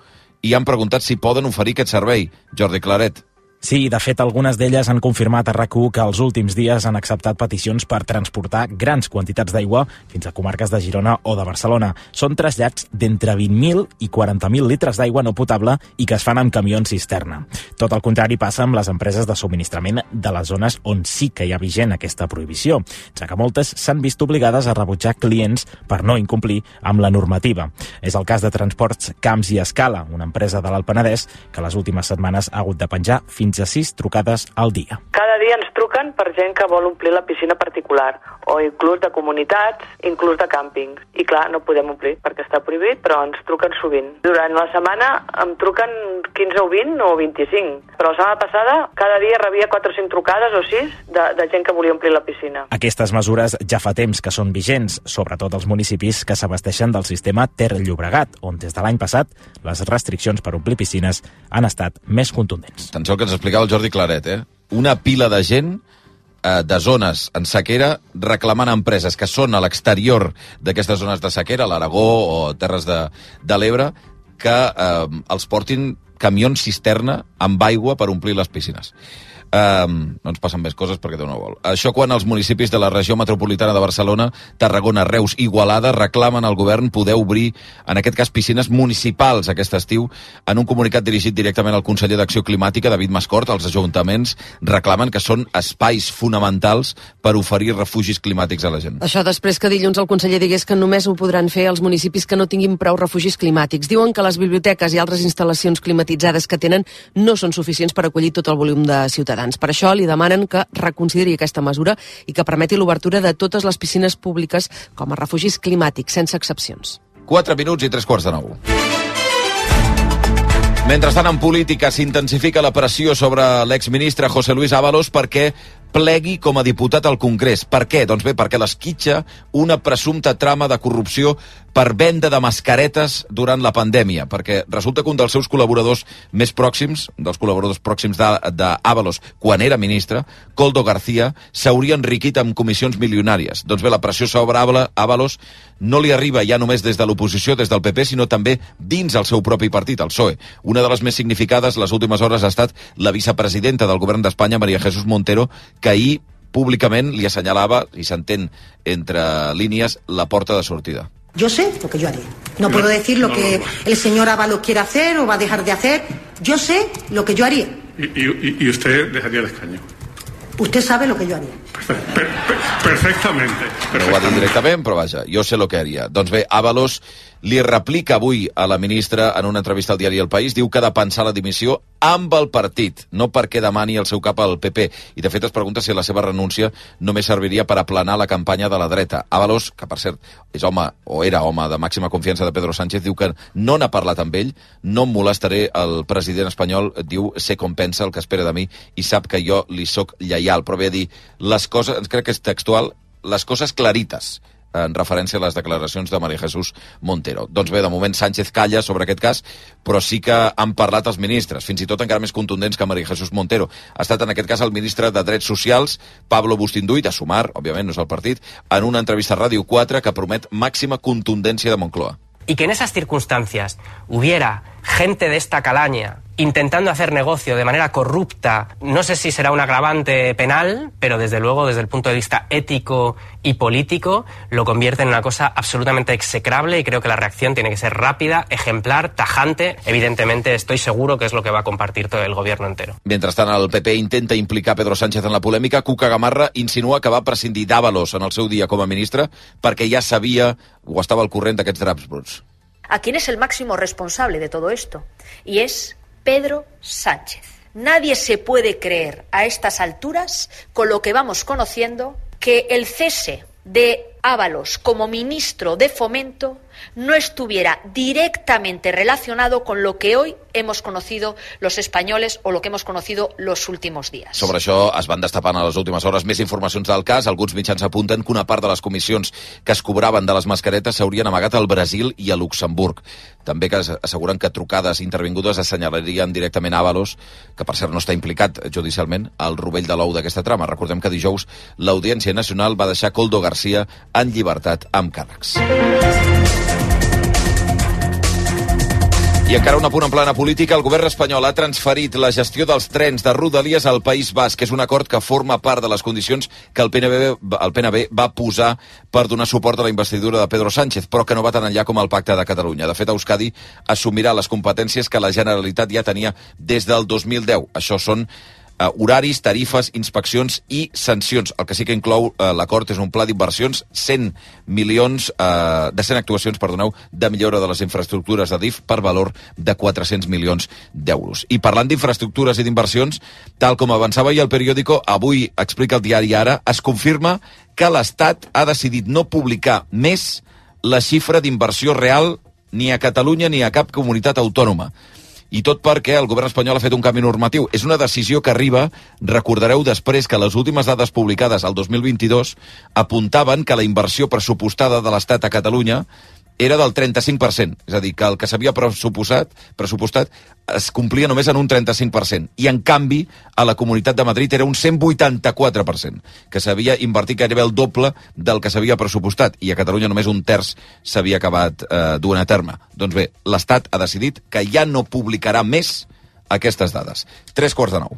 S1: i han preguntat si poden oferir aquest servei. Jordi Claret.
S8: Sí, de fet, algunes d'elles han confirmat a RAC1 que els últims dies han acceptat peticions per transportar grans quantitats d'aigua fins a comarques de Girona o de Barcelona. Són trasllats d'entre 20.000 i 40.000 litres d'aigua no potable i que es fan amb camions cisterna. Tot el contrari passa amb les empreses de subministrament de les zones on sí que hi ha vigent aquesta prohibició, ja que moltes s'han vist obligades a rebutjar clients per no incomplir amb la normativa. És el cas de Transports Camps i Escala, una empresa de l'Alt Penedès que les últimes setmanes ha hagut de penjar fins a 6 trucades al dia.
S9: Cada dia ens truquen per gent que vol omplir la piscina particular, o inclús de comunitats, inclús de càmpings. I clar, no podem omplir perquè està prohibit, però ens truquen sovint. Durant la setmana em truquen 15 o 20 o 25, però la setmana passada cada dia rebia 4 o 5 trucades o 6 de gent que volia omplir la piscina.
S8: Aquestes mesures ja fa temps que són vigents, sobretot als municipis que s'abasteixen del sistema Ter-Llobregat, on des de l'any passat les restriccions per omplir piscines han estat més contundents.
S1: Atenció que ens explicava el Jordi Claret, Una pila de gent de zones en sequera reclamant a empreses que són a l'exterior d'aquestes zones de sequera, l'Aragó o Terres de l'Ebre, que els portin camions cisterna amb aigua per omplir les piscines. No ens passen més coses perquè Déu no vol. Això quan els municipis de la regió metropolitana de Barcelona, Tarragona, Reus i Igualada reclamen al govern poder obrir, en aquest cas, piscines municipals aquest estiu. En un comunicat dirigit directament al conseller d'Acció Climàtica, David Mascort, els ajuntaments reclamen que són espais fonamentals per oferir refugis climàtics a la gent.
S16: Això després que dilluns el conseller digués que només ho podran fer els municipis que no tinguin prou refugis climàtics. Diuen que les biblioteques i altres instal·lacions climatitzades que tenen no són suficients per acollir tot el volum de ciutadans. Per això li demanen que reconsideri aquesta mesura i que permeti l'obertura de totes les piscines públiques com a refugis climàtics, sense excepcions.
S1: 4 minuts i 3:45. Mentrestant, en política s'intensifica la pressió sobre l'exministre José Luis Ábalos perquè plegui com a diputat al Congrés. Per què? Doncs bé, perquè l'esquitxa una presumpta trama de corrupció per venda de mascaretes durant la pandèmia, perquè resulta que un dels seus col·laboradors més pròxims, dels col·laboradors pròxims d'Ábalos, quan era ministre, Koldo García, s'hauria enriquit amb comissions milionàries. Doncs bé, la pressió sobre Ábalos no li arriba ja només des de l'oposició, des del PP, sinó també dins el seu propi partit, el PSOE. Una de les més significades les últimes hores ha estat la vicepresidenta del govern d'Espanya, María Jesús Montero, que ahir públicament li assenyalava, i s'entén entre línies, la porta de sortida.
S10: Yo sé lo que yo haré. No puedo decir lo que el señor Ábalos quiere hacer o va a dejar de hacer. Yo sé lo que yo haría.
S11: ¿Y usted dejaría el escaño?
S10: Usted sabe lo que yo haría.
S11: Perfectamente.
S1: No ho ha dit directament, però vaja, jo sé el que haria. Doncs bé, Ábalos li replica avui a la ministra en una entrevista al diari El País, diu que ha de pensar la dimissió amb el partit, no perquè demani el seu cap al PP. I de fet es pregunta si la seva renúncia només serviria per aplanar la campanya de la dreta. Ábalos, que per cert és home, o era home de màxima confiança de Pedro Sánchez, diu que no n'ha parlat amb ell, no em molestaré, el president espanyol diu, sé com pensa, el que espera de mi, i sap que jo li soc lleial. Però ve a dir, les coses, crec que és textual, les coses clarites, en referència a les declaracions de María Jesús Montero. Doncs bé, de moment Sánchez calla sobre aquest cas, però sí que han parlat els ministres, fins i tot encara més contundents que María Jesús Montero. Ha estat en aquest cas el ministre de Drets Socials, Pablo Bustinduy, de Sumar, òbviament no és el partit, en una entrevista a Ràdio 4 que promet màxima contundència de Moncloa.
S26: Y que en esas circunstancias hubiera gente de esta calaña intentando hacer negocio de manera corrupta, no sé si será un agravante penal, pero desde luego desde el punto de vista ético y político lo convierte en una cosa absolutamente execrable y creo que la reacción tiene que ser rápida, ejemplar, tajante. Evidentemente estoy seguro que es lo que va a compartir todo el gobierno entero.
S1: Mentrestant, el PP intenta implicar Pedro Sánchez en la polèmica. Cuca Gamarra insinua que va prescindir d'Ábalos en el seu dia com a ministre perquè ja sabia o estava al corrent d'aquests draps bruts.
S12: a quién es el máximo responsable de todo esto, y es Pedro Sánchez. Nadie se puede creer a estas alturas, con lo que vamos conociendo, que el cese de Ábalos como ministro de Fomento no estuviera directamente relacionado con lo que hoy hemos conocido los españoles o lo que hemos conocido los últimos días.
S1: Sobre això es van destapant a les últimes hores més informacions del cas. Alguns mitjans apunten que una part de les comissions que es cobraven de les mascaretes s'haurien amagat al Brasil i a Luxemburg. També que asseguren que trucades intervingudes assenyalarien directament Ábalos, que per cert no està implicat judicialment, al rovell de l'ou d'aquesta trama. Recordem que dijous l'Audiència Nacional va deixar Koldo García en llibertat amb càrrecs. I encara un apunt en plana política, el govern espanyol ha transferit la gestió dels trens de Rodalies al País Basc, que és un acord que forma part de les condicions que el PNB va posar per donar suport a la investidura de Pedro Sánchez, però que no va tan enllà com el Pacte de Catalunya. De fet, Euskadi assumirà les competències que la Generalitat ja tenia des del 2010. Això són horaris, tarifes, inspeccions i sancions. El que sí que inclou l'acord és un pla d'inversions, 100 actuacions, de millora de les infraestructures de DIF per valor de 400 milions d'euros. I parlant d'infraestructures i d'inversions, tal com avançava ahir el periòdico, avui explica el diari Ara, es confirma que l'Estat ha decidit no publicar més la xifra d'inversió real ni a Catalunya ni a cap comunitat autònoma. I tot perquè el govern espanyol ha fet un canvi normatiu. És una decisió que arriba, recordareu, després que les últimes dades publicades al 2022 apuntaven que la inversió pressupostada de l'Estat a Catalunya era del 35%. És a dir, que el que s'havia pressupostat es complia només en un 35%. I, en canvi, a la Comunitat de Madrid era un 184%, que s'havia invertit gairebé el doble del que s'havia pressupostat. I a Catalunya només un terç s'havia acabat duent a terme. Doncs bé, l'Estat ha decidit que ja no publicarà més aquestes dades. 8:45.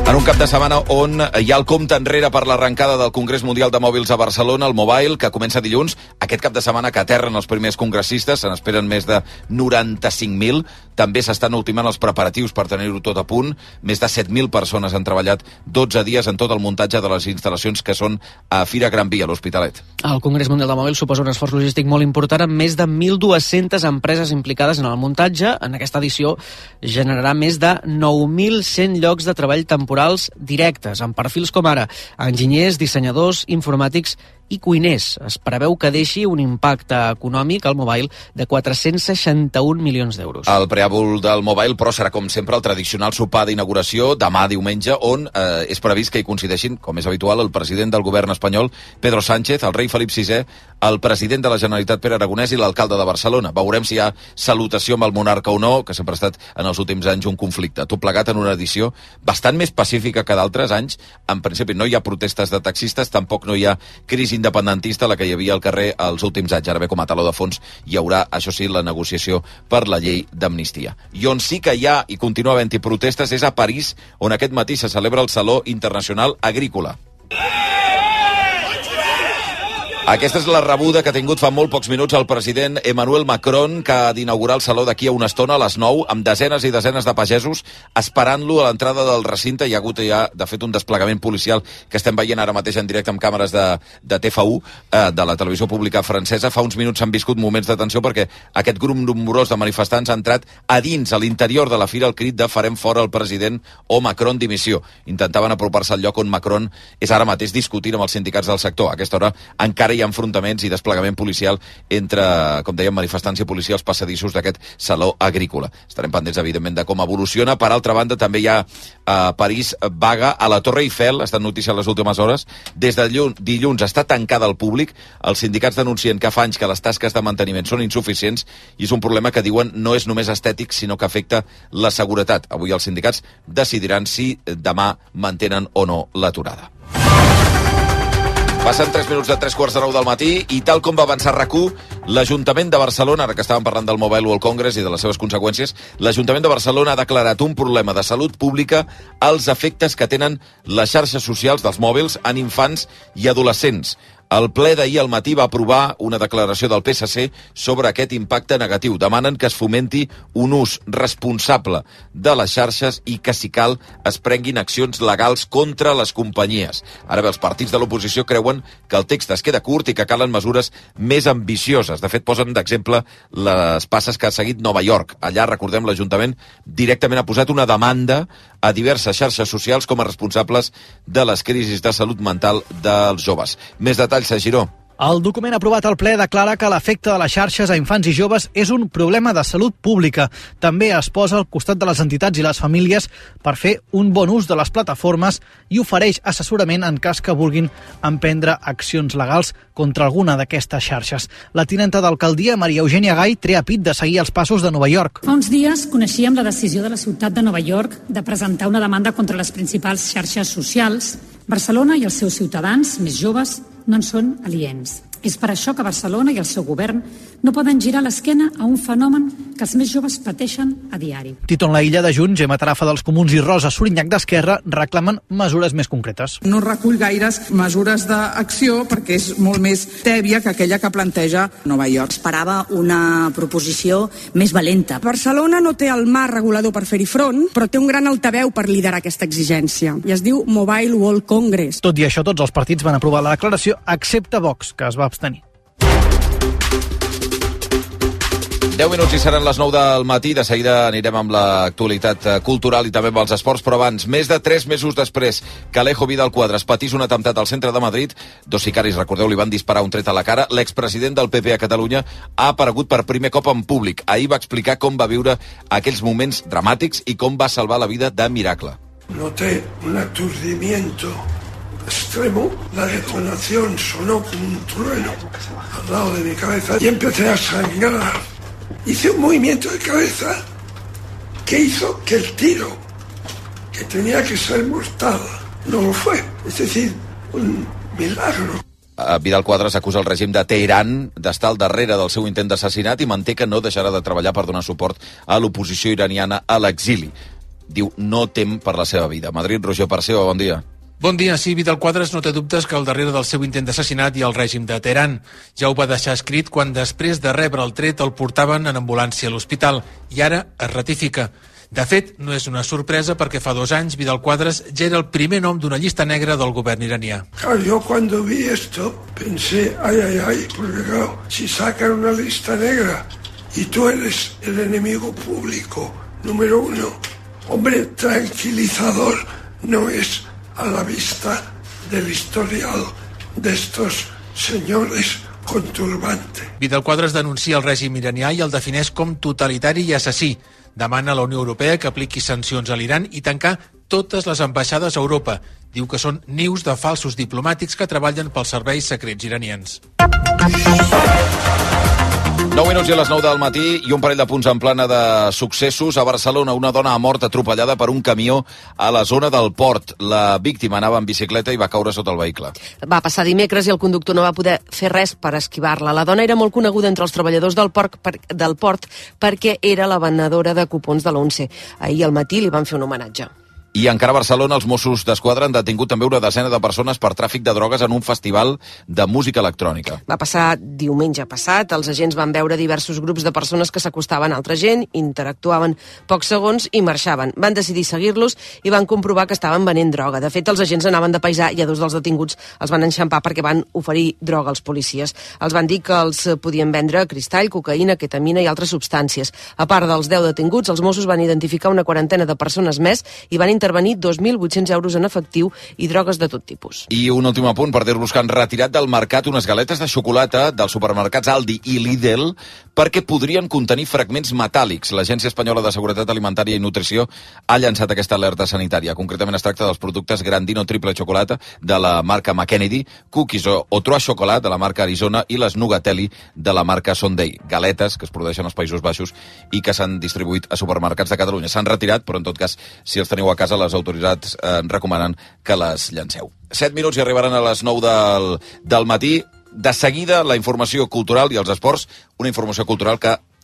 S1: En un cap de setmana on hi ha el compte enrere per l'arrencada del Congrés Mundial de Mòbils a Barcelona, el Mobile, que comença dilluns. Aquest cap de setmana que aterren els primers congressistes, se n'esperen més de 95.000. També s'estan ultimant els preparatius per tenir-ho tot a punt. Més de 7.000 persones han treballat 12 dies en tot el muntatge de les instal·lacions que són a Fira Gran Via, a l'Hospitalet.
S20: El Congrés Mundial de Mòbils suposa un esforç logístic molt important amb més de 1.200 empreses implicades en el muntatge. En aquesta edició generarà més de 9.100 llocs de treball temporals directes, amb perfils com ara enginyers, dissenyadors, informàtics i cuiners. Es preveu que deixi un impacte econòmic al Mobile de 461 milions d'euros.
S1: El preàmbul del Mobile, però, serà com sempre el tradicional sopar d'inauguració demà diumenge, on és previst que hi coincideixin, com és habitual, el president del govern espanyol, Pedro Sánchez, el rei Felip VI, el president de la Generalitat, Pere Aragonès, i l'alcalde de Barcelona. Veurem si hi ha salutació amb el monarca o no, que sempre ha estat en els últims anys un conflicte. Tot plegat en una edició bastant més pacífica que d'altres anys. En principi no hi ha protestes de taxistes, tampoc no hi ha crisi independentista, la que hi havia al carrer els últims anys. Ara bé, com a taló de fons hi haurà, això sí, la negociació per la llei d'amnistia. I on sí que hi ha i continua havent-hi protestes és a París, on aquest matí se celebra el Saló Internacional Agrícola. Aquesta és la rebuda que ha tingut fa molt pocs minuts el president Emmanuel Macron, que ha d'inaugurar el Saló d'aquí a una estona, a les 9, amb desenes i desenes de pagesos esperant-lo a l'entrada del recinte. Hi ha hagut ja, de fet, un desplegament policial que estem veient ara mateix en directe amb càmeres de TF1, de la televisió pública francesa. Fa uns minuts s'han viscut moments de tensió perquè aquest grup nombrós de manifestants ha entrat a dins, a l'interior de la fira, al crit de farem fora el president o Macron dimissió. Intentaven apropar-se al lloc on Macron és ara mateix discutint amb els sindicats del sector. A aquesta hora encara hi ha enfrontaments i desplegament policial entre, com dèiem, manifestants i policia als passadissos d'aquest saló agrícola. Estarem pendents, evidentment, de com evoluciona. Per altra banda, també hi ha a París vaga a la Torre Eiffel, ha estat notícia en les últimes hores. Des de dilluns està tancada al públic. Els sindicats denuncien que fa anys que les tasques de manteniment són insuficients i és un problema que diuen no és només estètic, sinó que afecta la seguretat. Avui els sindicats decidiran si demà mantenen o no l'aturada. Passen 3 minuts de 3:45 del matí i tal com va avançar RAC1, l'Ajuntament de Barcelona, ara que estàvem parlant del Mobile World Congress i de les seves conseqüències, l'Ajuntament de Barcelona ha declarat un problema de salut pública als efectes que tenen les xarxes socials dels mòbils en infants i adolescents. El ple d'ahir al matí va aprovar una declaració del PSC sobre aquest impacte negatiu. Demanen que es fomenti un ús responsable de les xarxes i que, si cal, es prenguin accions legals contra les companyies. Ara bé, els partits de l'oposició creuen que el text es queda curt i que calen mesures més ambicioses. De fet, posen d'exemple les passes que ha seguit Nova York. Allà, recordem, l'Ajuntament directament ha posat una demanda a diverses xarxes socials com a responsables de les crisis de salut mental dels joves. Més detalls a Giró.
S13: El document aprovat al ple declara que l'efecte de les xarxes a infants i joves és un problema de salut pública. També es posa al costat de les entitats i les famílies per fer un bon ús de les plataformes i ofereix assessorament en cas que vulguin emprendre accions legals contra alguna d'aquestes xarxes. La tinenta d'alcaldia, Maria Eugènia Gai, trea pit de seguir els passos de Nova York.
S14: Fa uns dies coneixíem la decisió de la ciutat de Nova York de presentar una demanda contra les principals xarxes socials. Barcelona i els seus ciutadans més joves no en són aliens. És per això que Barcelona i el seu govern no poden girar l'esquena a un fenomen que els més joves pateixen a diari.
S13: Titon Laïlla de Junts, Gemma Tarafa dels Comuns i Rosa Sorinyac d'Esquerra reclamen mesures més concretes.
S15: No recull gaires mesures d'acció perquè és molt més tèbia que aquella que planteja Nova York.
S17: Esperava una proposició més valenta.
S15: Barcelona no té el marc regulador per fer-hi front, però té un gran altaveu per liderar aquesta exigència. I es diu Mobile World Congress.
S13: Tot i això, tots els partits van aprovar la declaració, excepte Vox, que es va abstenir.
S1: 10 minuts i seran les 9 del matí. De seguida anirem amb l'actualitat cultural i també amb els esports, però abans, més de 3 mesos després que Alejo Vidal Quadras patís un atemptat al centre de Madrid, 2 sicaris, recordeu, li van disparar un tret a la cara, l'expresident del PP a Catalunya ha aparegut per primer cop en públic. Ahir va explicar com va viure aquells moments dramàtics i com va salvar la vida de miracle.
S18: Noté un aturdimiento extremo, la detonación sonó como un trueno al lado de mi cabeza y empecé a sangrar. Hice un movimiento de cabeza que hizo que el tiro, que tenía que ser mortal, no lo fue. Es decir, un milagro.
S1: Vidal Quadras acusa el règim de Teheran d'estar al darrere del seu intent d'assassinat i manté que no deixarà de treballar per donar suport a l'oposició iraniana a l'exili. Diu, no tem per la seva vida. Madrid, Roger Parceo, bon dia.
S19: Bon dia. Sí, Vidal Quadras no té dubtes que al darrere del seu intent d'assassinat hi ha el règim de Teheran. Ja ho va deixar escrit quan després de rebre el tret el portaven en ambulància a l'hospital i ara es ratifica. De fet, no és una sorpresa perquè fa 2 anys Vidal Quadras ja era el primer nom d'una llista negra del govern iranià.
S18: Yo cuando vi esto pensé, ay, porque claro, si sacan una lista negra y tú eres el enemigo público número 1, hombre, tranquilizador no es a la vista del historial de estos señores con turbante.
S19: Vidal Quadras denuncia el règim iranià i el defineix com totalitari i assassí. Demana a la Unió Europea que apliqui sancions a l'Iran i tancar totes les ambaixades a Europa. Diu que són nius de falsos diplomàtics que treballen pels serveis secrets iranians.
S1: 9 minuts i a les 9 del matí i un parell de punts en plana de successos. A Barcelona, una dona ha mort atropellada per un camió a la zona del port. La víctima anava en bicicleta i va caure sota el vehicle.
S16: Va passar dimecres i el conductor no va poder fer res per esquivar-la. La dona era molt coneguda entre els treballadors del port perquè era la venedora de cupons de l'11. Ahir al matí li van fer un homenatge.
S1: I encara a Barcelona, els Mossos d'Esquadra han detingut també una desena de persones per tràfic de drogues en un festival de música electrònica.
S16: Va passar diumenge passat. Els agents van veure diversos grups de persones que s'acostaven a altra gent, interactuaven pocs segons i marxaven. Van decidir seguir-los i van comprovar que estaven venent droga. De fet, els agents anaven de paisà i a 2 dels detinguts els van enxampar perquè van oferir droga als policies. Els van dir que els podien vendre cristall, cocaïna, ketamina i altres substàncies. A part dels 10 detinguts, els Mossos van identificar una quarantena de persones més i van intervenir 2.800 euros en efectiu i drogues de tot tipus.
S1: I un últim apunt per dir-vos que han retirat del mercat unes galetes de xocolata dels supermercats Aldi i Lidl perquè podrien contenir fragments metàl·lics. L'Agència Espanyola de Seguretat Alimentària i Nutrició ha llançat aquesta alerta sanitària. Concretament es tracta dels productes Grandino Triple Chocolate de la marca McKennedy, Cookies o Trois Chocolat de la marca Arizona i les Nugatelli de la marca Sunday. Galetes que es produeixen als Països Baixos i que s'han distribuït a supermercats de Catalunya. S'han retirat, però en tot cas, si els teniu a casa, les autoritats recomanen que les llanceu. 7 minuts i arribaran a les 9 del matí. De seguida, la informació cultural i els esports, una informació cultural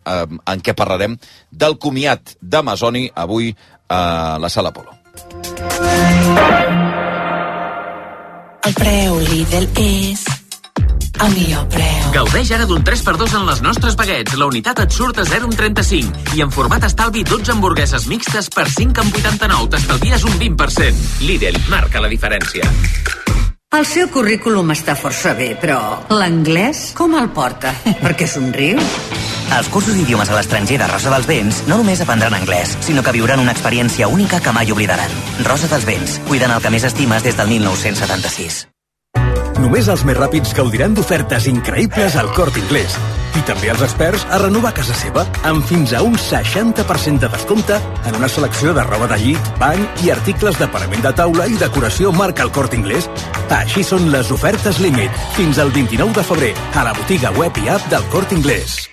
S1: en què parlarem del comiat d'Amazoni avui a la Sala Apolo.
S27: El preu Lidl és
S2: a millor preu.
S3: Gaudeix ara d'un 3x2 en les nostres baguettes. La unitat et surt a 0,35 i en format estalvi 12 hamburgueses mixtes per 5,89. T'estalvies un 20%. Lidl marca la diferència.
S4: El seu currículum està força bé, però l'anglès com el porta? Per què somriu?
S21: Als cursos d'idiomes a l'estranger de Rosa dels Vents no només aprendran anglès, sinó que viuran una experiència única que mai oblidaran. Rosa dels Vents, cuidant el que més estimes des del 1976.
S22: Només els més ràpids gaudiran d'ofertes increïbles al Corte Inglés. I també els experts a renovar casa seva amb fins a un 60% de descompte en una selecció de roba de llit, bany i articles de parament de taula i decoració marca el Corte Inglés. Així són les ofertes límit fins al 29 de febrer a la botiga web i app del Corte Inglés.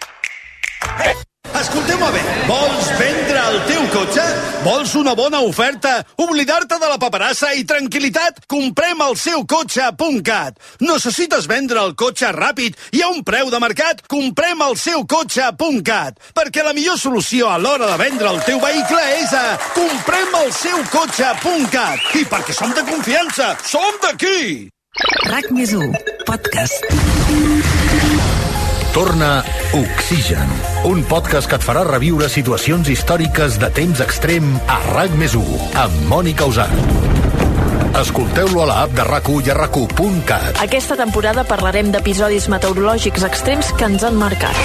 S23: Escolteu-me bé, vols vendre el teu cotxe? Vols una bona oferta? Oblidar-te de la paperassa i tranquil·litat? Comprem el SeuCotxe.cat. Necessites vendre el cotxe ràpid i a un preu de mercat? Comprem el SeuCotxe.cat. Perquè la millor solució a l'hora de vendre el teu vehicle és a Comprem el SeuCotxe.cat. I perquè som de confiança, som d'aquí!
S27: RAC+1, podcast.
S28: Torna Oxigen, un podcast que et farà reviure situacions històriques de temps extrem a RAC+1, amb Mònica Usart. Escolteu-lo a l'app de RAC1 i a RAC1.cat.
S29: Aquesta temporada parlarem d'episodis meteorològics extrems que ens han marcat.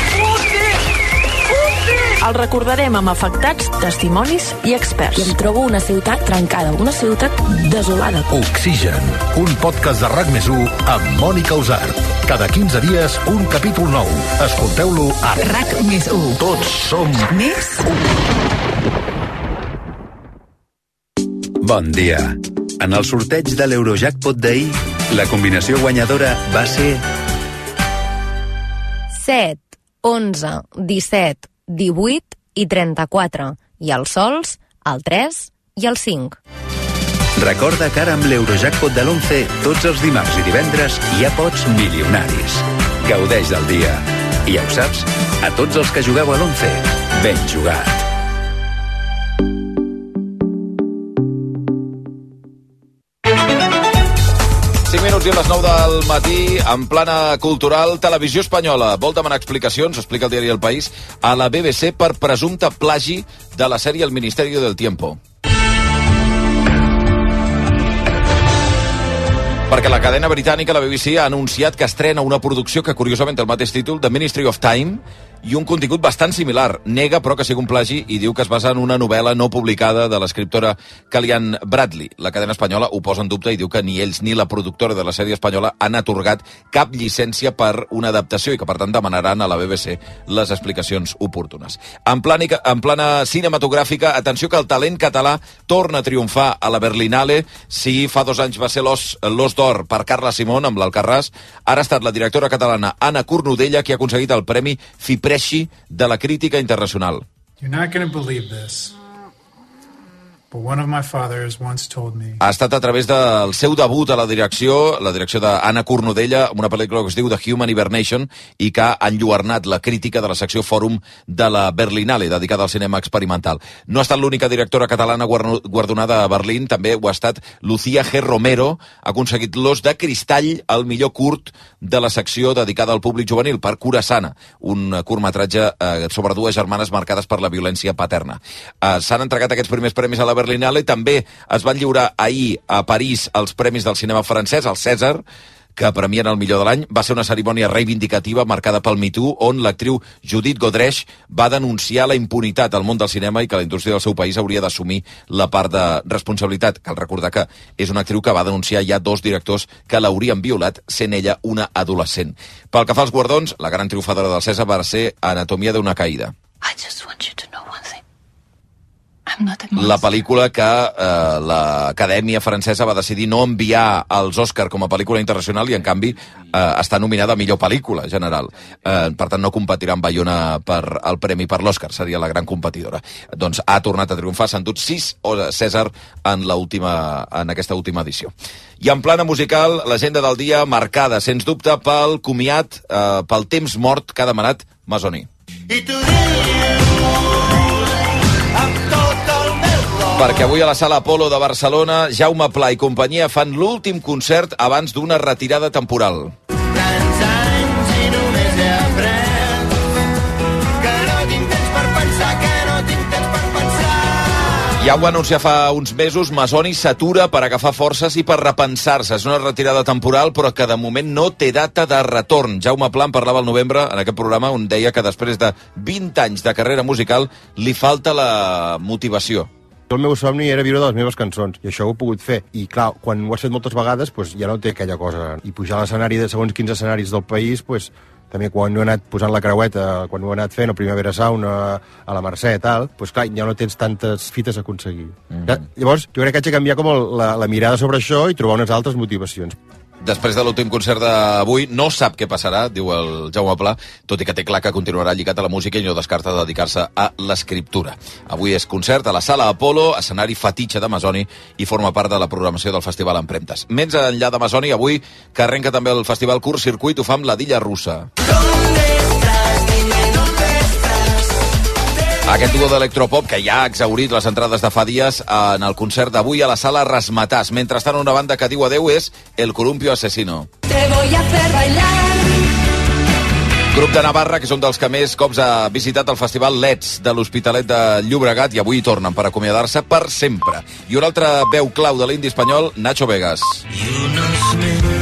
S29: El recordarem amb afectats, testimonis i experts.
S27: I em trobo una ciutat trencada, una ciutat desolada.
S28: Oxigen, un podcast de RAC+1 amb Mònica Usart. Cada 15 dies, un capítol nou. Escolteu-lo a
S27: RAC+1.
S28: Tots som
S27: més
S30: 1. Bon dia. En el sorteig de l'Eurojackpot d'ahir, la combinació guanyadora va ser
S31: 7, 11, 17, 18 i 34. I els sols, el 3 i el 5.
S30: Recorda que ara amb l'Eurojackpot de l'11, tots els dimarts i divendres hi ha pots milionaris. Gaudeix del dia. I ja ho saps, a tots els que jugueu a l'11, ben jugat.
S1: Minuts i a les 9 del matí, en plana cultural, Televisió Espanyola vol demanar explicacions, explica el diari El País, a la BBC per presumpte plagi de la sèrie El Ministerio del Tiempo. Perquè la cadena britànica, la BBC, ha anunciat que estrena una producció que curiosament té el mateix títol, The Ministry of Time, i un contingut bastant similar. Nega, però, que sigui un plagi i diu que es basa en una novel·la no publicada de l'escriptora Kellyanne Bradley. La cadena espanyola ho posa en dubte i diu que ni ells ni la productora de la sèrie espanyola han atorgat cap llicència per una adaptació i que, per tant, demanaran a la BBC les explicacions oportunes. En plana cinematogràfica, atenció que el talent català torna a triomfar a la Berlinale. Si fa 2 anys va ser l'Os d'Or per Carla Simón amb l'Alcarràs, ara ha estat la directora catalana Anna Cornudella qui ha aconseguit el Premi Fipresci de la crítica internacional.
S32: You're not going to believe this, but one of my fathers once told me...
S1: Ha estat a través del seu debut a la direcció d'Anna Cornudella, amb una pel·lícula que es diu The Human Hibernation, i que ha enlluernat la crítica de la secció Fòrum de la Berlinale, dedicada al cinema experimental. No ha estat l'única directora catalana guardonada a Berlín, també ho ha estat Lucía G. Romero, ha aconseguit l'Os de Cristall, el millor curt de la secció dedicada al públic juvenil, per Curaçana, un curtmetratge sobre 2 germanes marcades per la violència paterna. S'han entregat aquests primers premis a la Berlinale. També es van lliurar ahir a París els premis del cinema francès, el César, que premien el millor de l'any. Va ser una cerimònia reivindicativa marcada pel Me Too, on l'actriu Judith Godrèche va denunciar la impunitat al món del cinema i que la indústria del seu país hauria d'assumir la part de responsabilitat. Cal recordar que és una actriu que va denunciar ja 2 directors que l'haurien violat, sent ella una adolescent. Pel que fa als guardons, la gran triomfadora del César va ser Anatomia d'una caïda.
S27: I just want you to know one thing.
S1: La pel·lícula que l'Acadèmia Francesa va decidir no enviar als Òscar com a pel·lícula internacional i, en canvi, està nominada a millor pel·lícula general. Per tant, no competirà amb Bayona per el premi per l'Òscar, seria la gran competidora. Doncs ha tornat a triomfar, s'han dut 6 César en aquesta última edició. I en plana musical, l'agenda del dia marcada, sens dubte, pel comiat, pel temps mort que ha demanat Masoni. Perquè avui a la Sala Apolo de Barcelona, Jaume Pla i companyia fan l'últim concert abans d'una retirada temporal. Ja ho va anunciar fa uns mesos, Masoni s'atura per agafar forces i per repensar-se. És una retirada temporal, però que de moment no té data de retorn. Jaume Pla en parlava al novembre en aquest programa, on deia que després de 20 anys de carrera musical li falta la motivació.
S2: El meu somni era viure de les meves cançons, i això ho he pogut fer. I clar, quan ho has fet moltes vegades, doncs ja no té aquella cosa. I pujar a l'escenari de segons quins escenaris del país, doncs també quan ho he anat posant la creueta, quan ho he anat fent, el Primavera Sound, a la Mercè, tal, doncs clar, ja no tens tantes fites a aconseguir. Llavors, jo crec que haig de canviar com la mirada sobre això i trobar unes altres motivacions.
S1: Després de l'últim concert d'avui, no sap què passarà, diu el Jaume Pla, tot i que té clar que continuarà lligat a la música i no descarta dedicar-se a l'escriptura. Avui és concert a la Sala Apolo, escenari fetitxe de Masoni, i forma part de la programació del Festival Empremtes. Més enllà de Masoni, avui que arrenca també el Festival Curt Circuit, ho fa amb la Dilla Russa. Aquest duo d'electropop que ja ha exhaurit les entrades de fa dies en el concert d'avui a la Sala Rasmatàs. Mentrestant, una banda que diu adeu és El Columpio Asesino.
S5: Te voy a hacer bailar.
S1: Grup de Navarra, que és un dels que més cops ha visitat el festival Let's de l'Hospitalet de Llobregat, i avui hi tornen per acomiadar-se per sempre. I una altra veu clau de l'indi espanyol, Nacho Vegas.
S5: Y unos